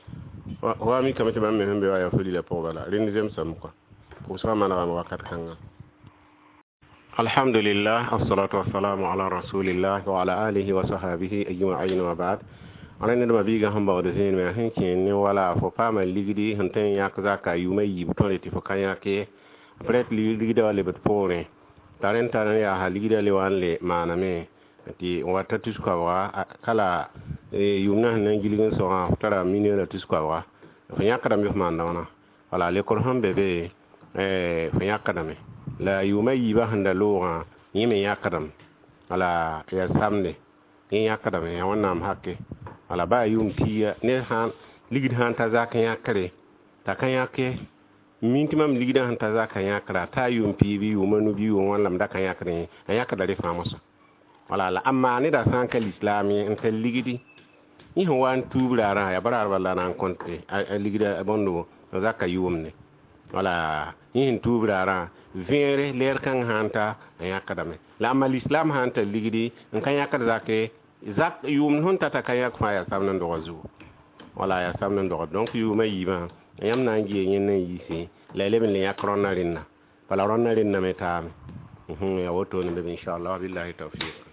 wa mikame tɩ bãmb me sẽn be wa yaa farila pʋgẽ bala rẽnd zemsame kɔa pʋʋsgã manegame wakat kãngã. Alhamdulillah, assalatu wassalamu ala rasulillah wa ala alihi wa sahbihi ajma'in wa ba'd. Ala ned ma biiga sẽn baood zẽeneme sẽn kẽer ne wala fo paama ligdi sẽn tõe n yãk zaka yʋʋma yiib tõre tɩ fo ka yãk ye peut-être ligdã wa lebd poorẽ t'a rẽnd tar n yaa ligdã le wa n le maaname tɩ n wa ta tus-koabga kala yʋʋm na sẽn na n gilg n sõgã f tara million la tus-koabga fo yãkdame f maanda wãna wala lekor sẽn be be fo yãkdame la yʋʋma yiibã sẽn da loogã yẽ me yãkdame wala yaa samde yẽ yãkdame yaa wẽnnaam hake wala baa yʋʋm piiga ned sãn ligd sãn ta zak yãkre t'a ka yãk ye min tɩ mam ligdã sẽn ta zaka yãkra t'a yʋʋm pii bɩ yʋʋma nu bɩ yʋʋm wãn la m da ka yãkdẽ a yãkda re fãa mosã wala la amma neda sã n ka lislaam ye n tar ligdi yẽ sẽn wa n tuub raarã yaa baraarba la na n kõte a ligda bõndo zaka yʋʋmde wala yẽ sẽn tuub raarã vẽere leer kãng sãn ta a yãkdame la amma lislaam sãn tar ligdi n ka yãkd zake zak yʋʋmd sẽn tata ka yãk fãa yaa samd n dogã zugu wala yaa samd n dogã donc yʋʋma yiibã yãmb na n gee yẽnd n yiise la y leb n le yãk rõnna rẽnna bala rõnna rẽnna me taame yaa wotone be inchallah wabillahi tawfiq.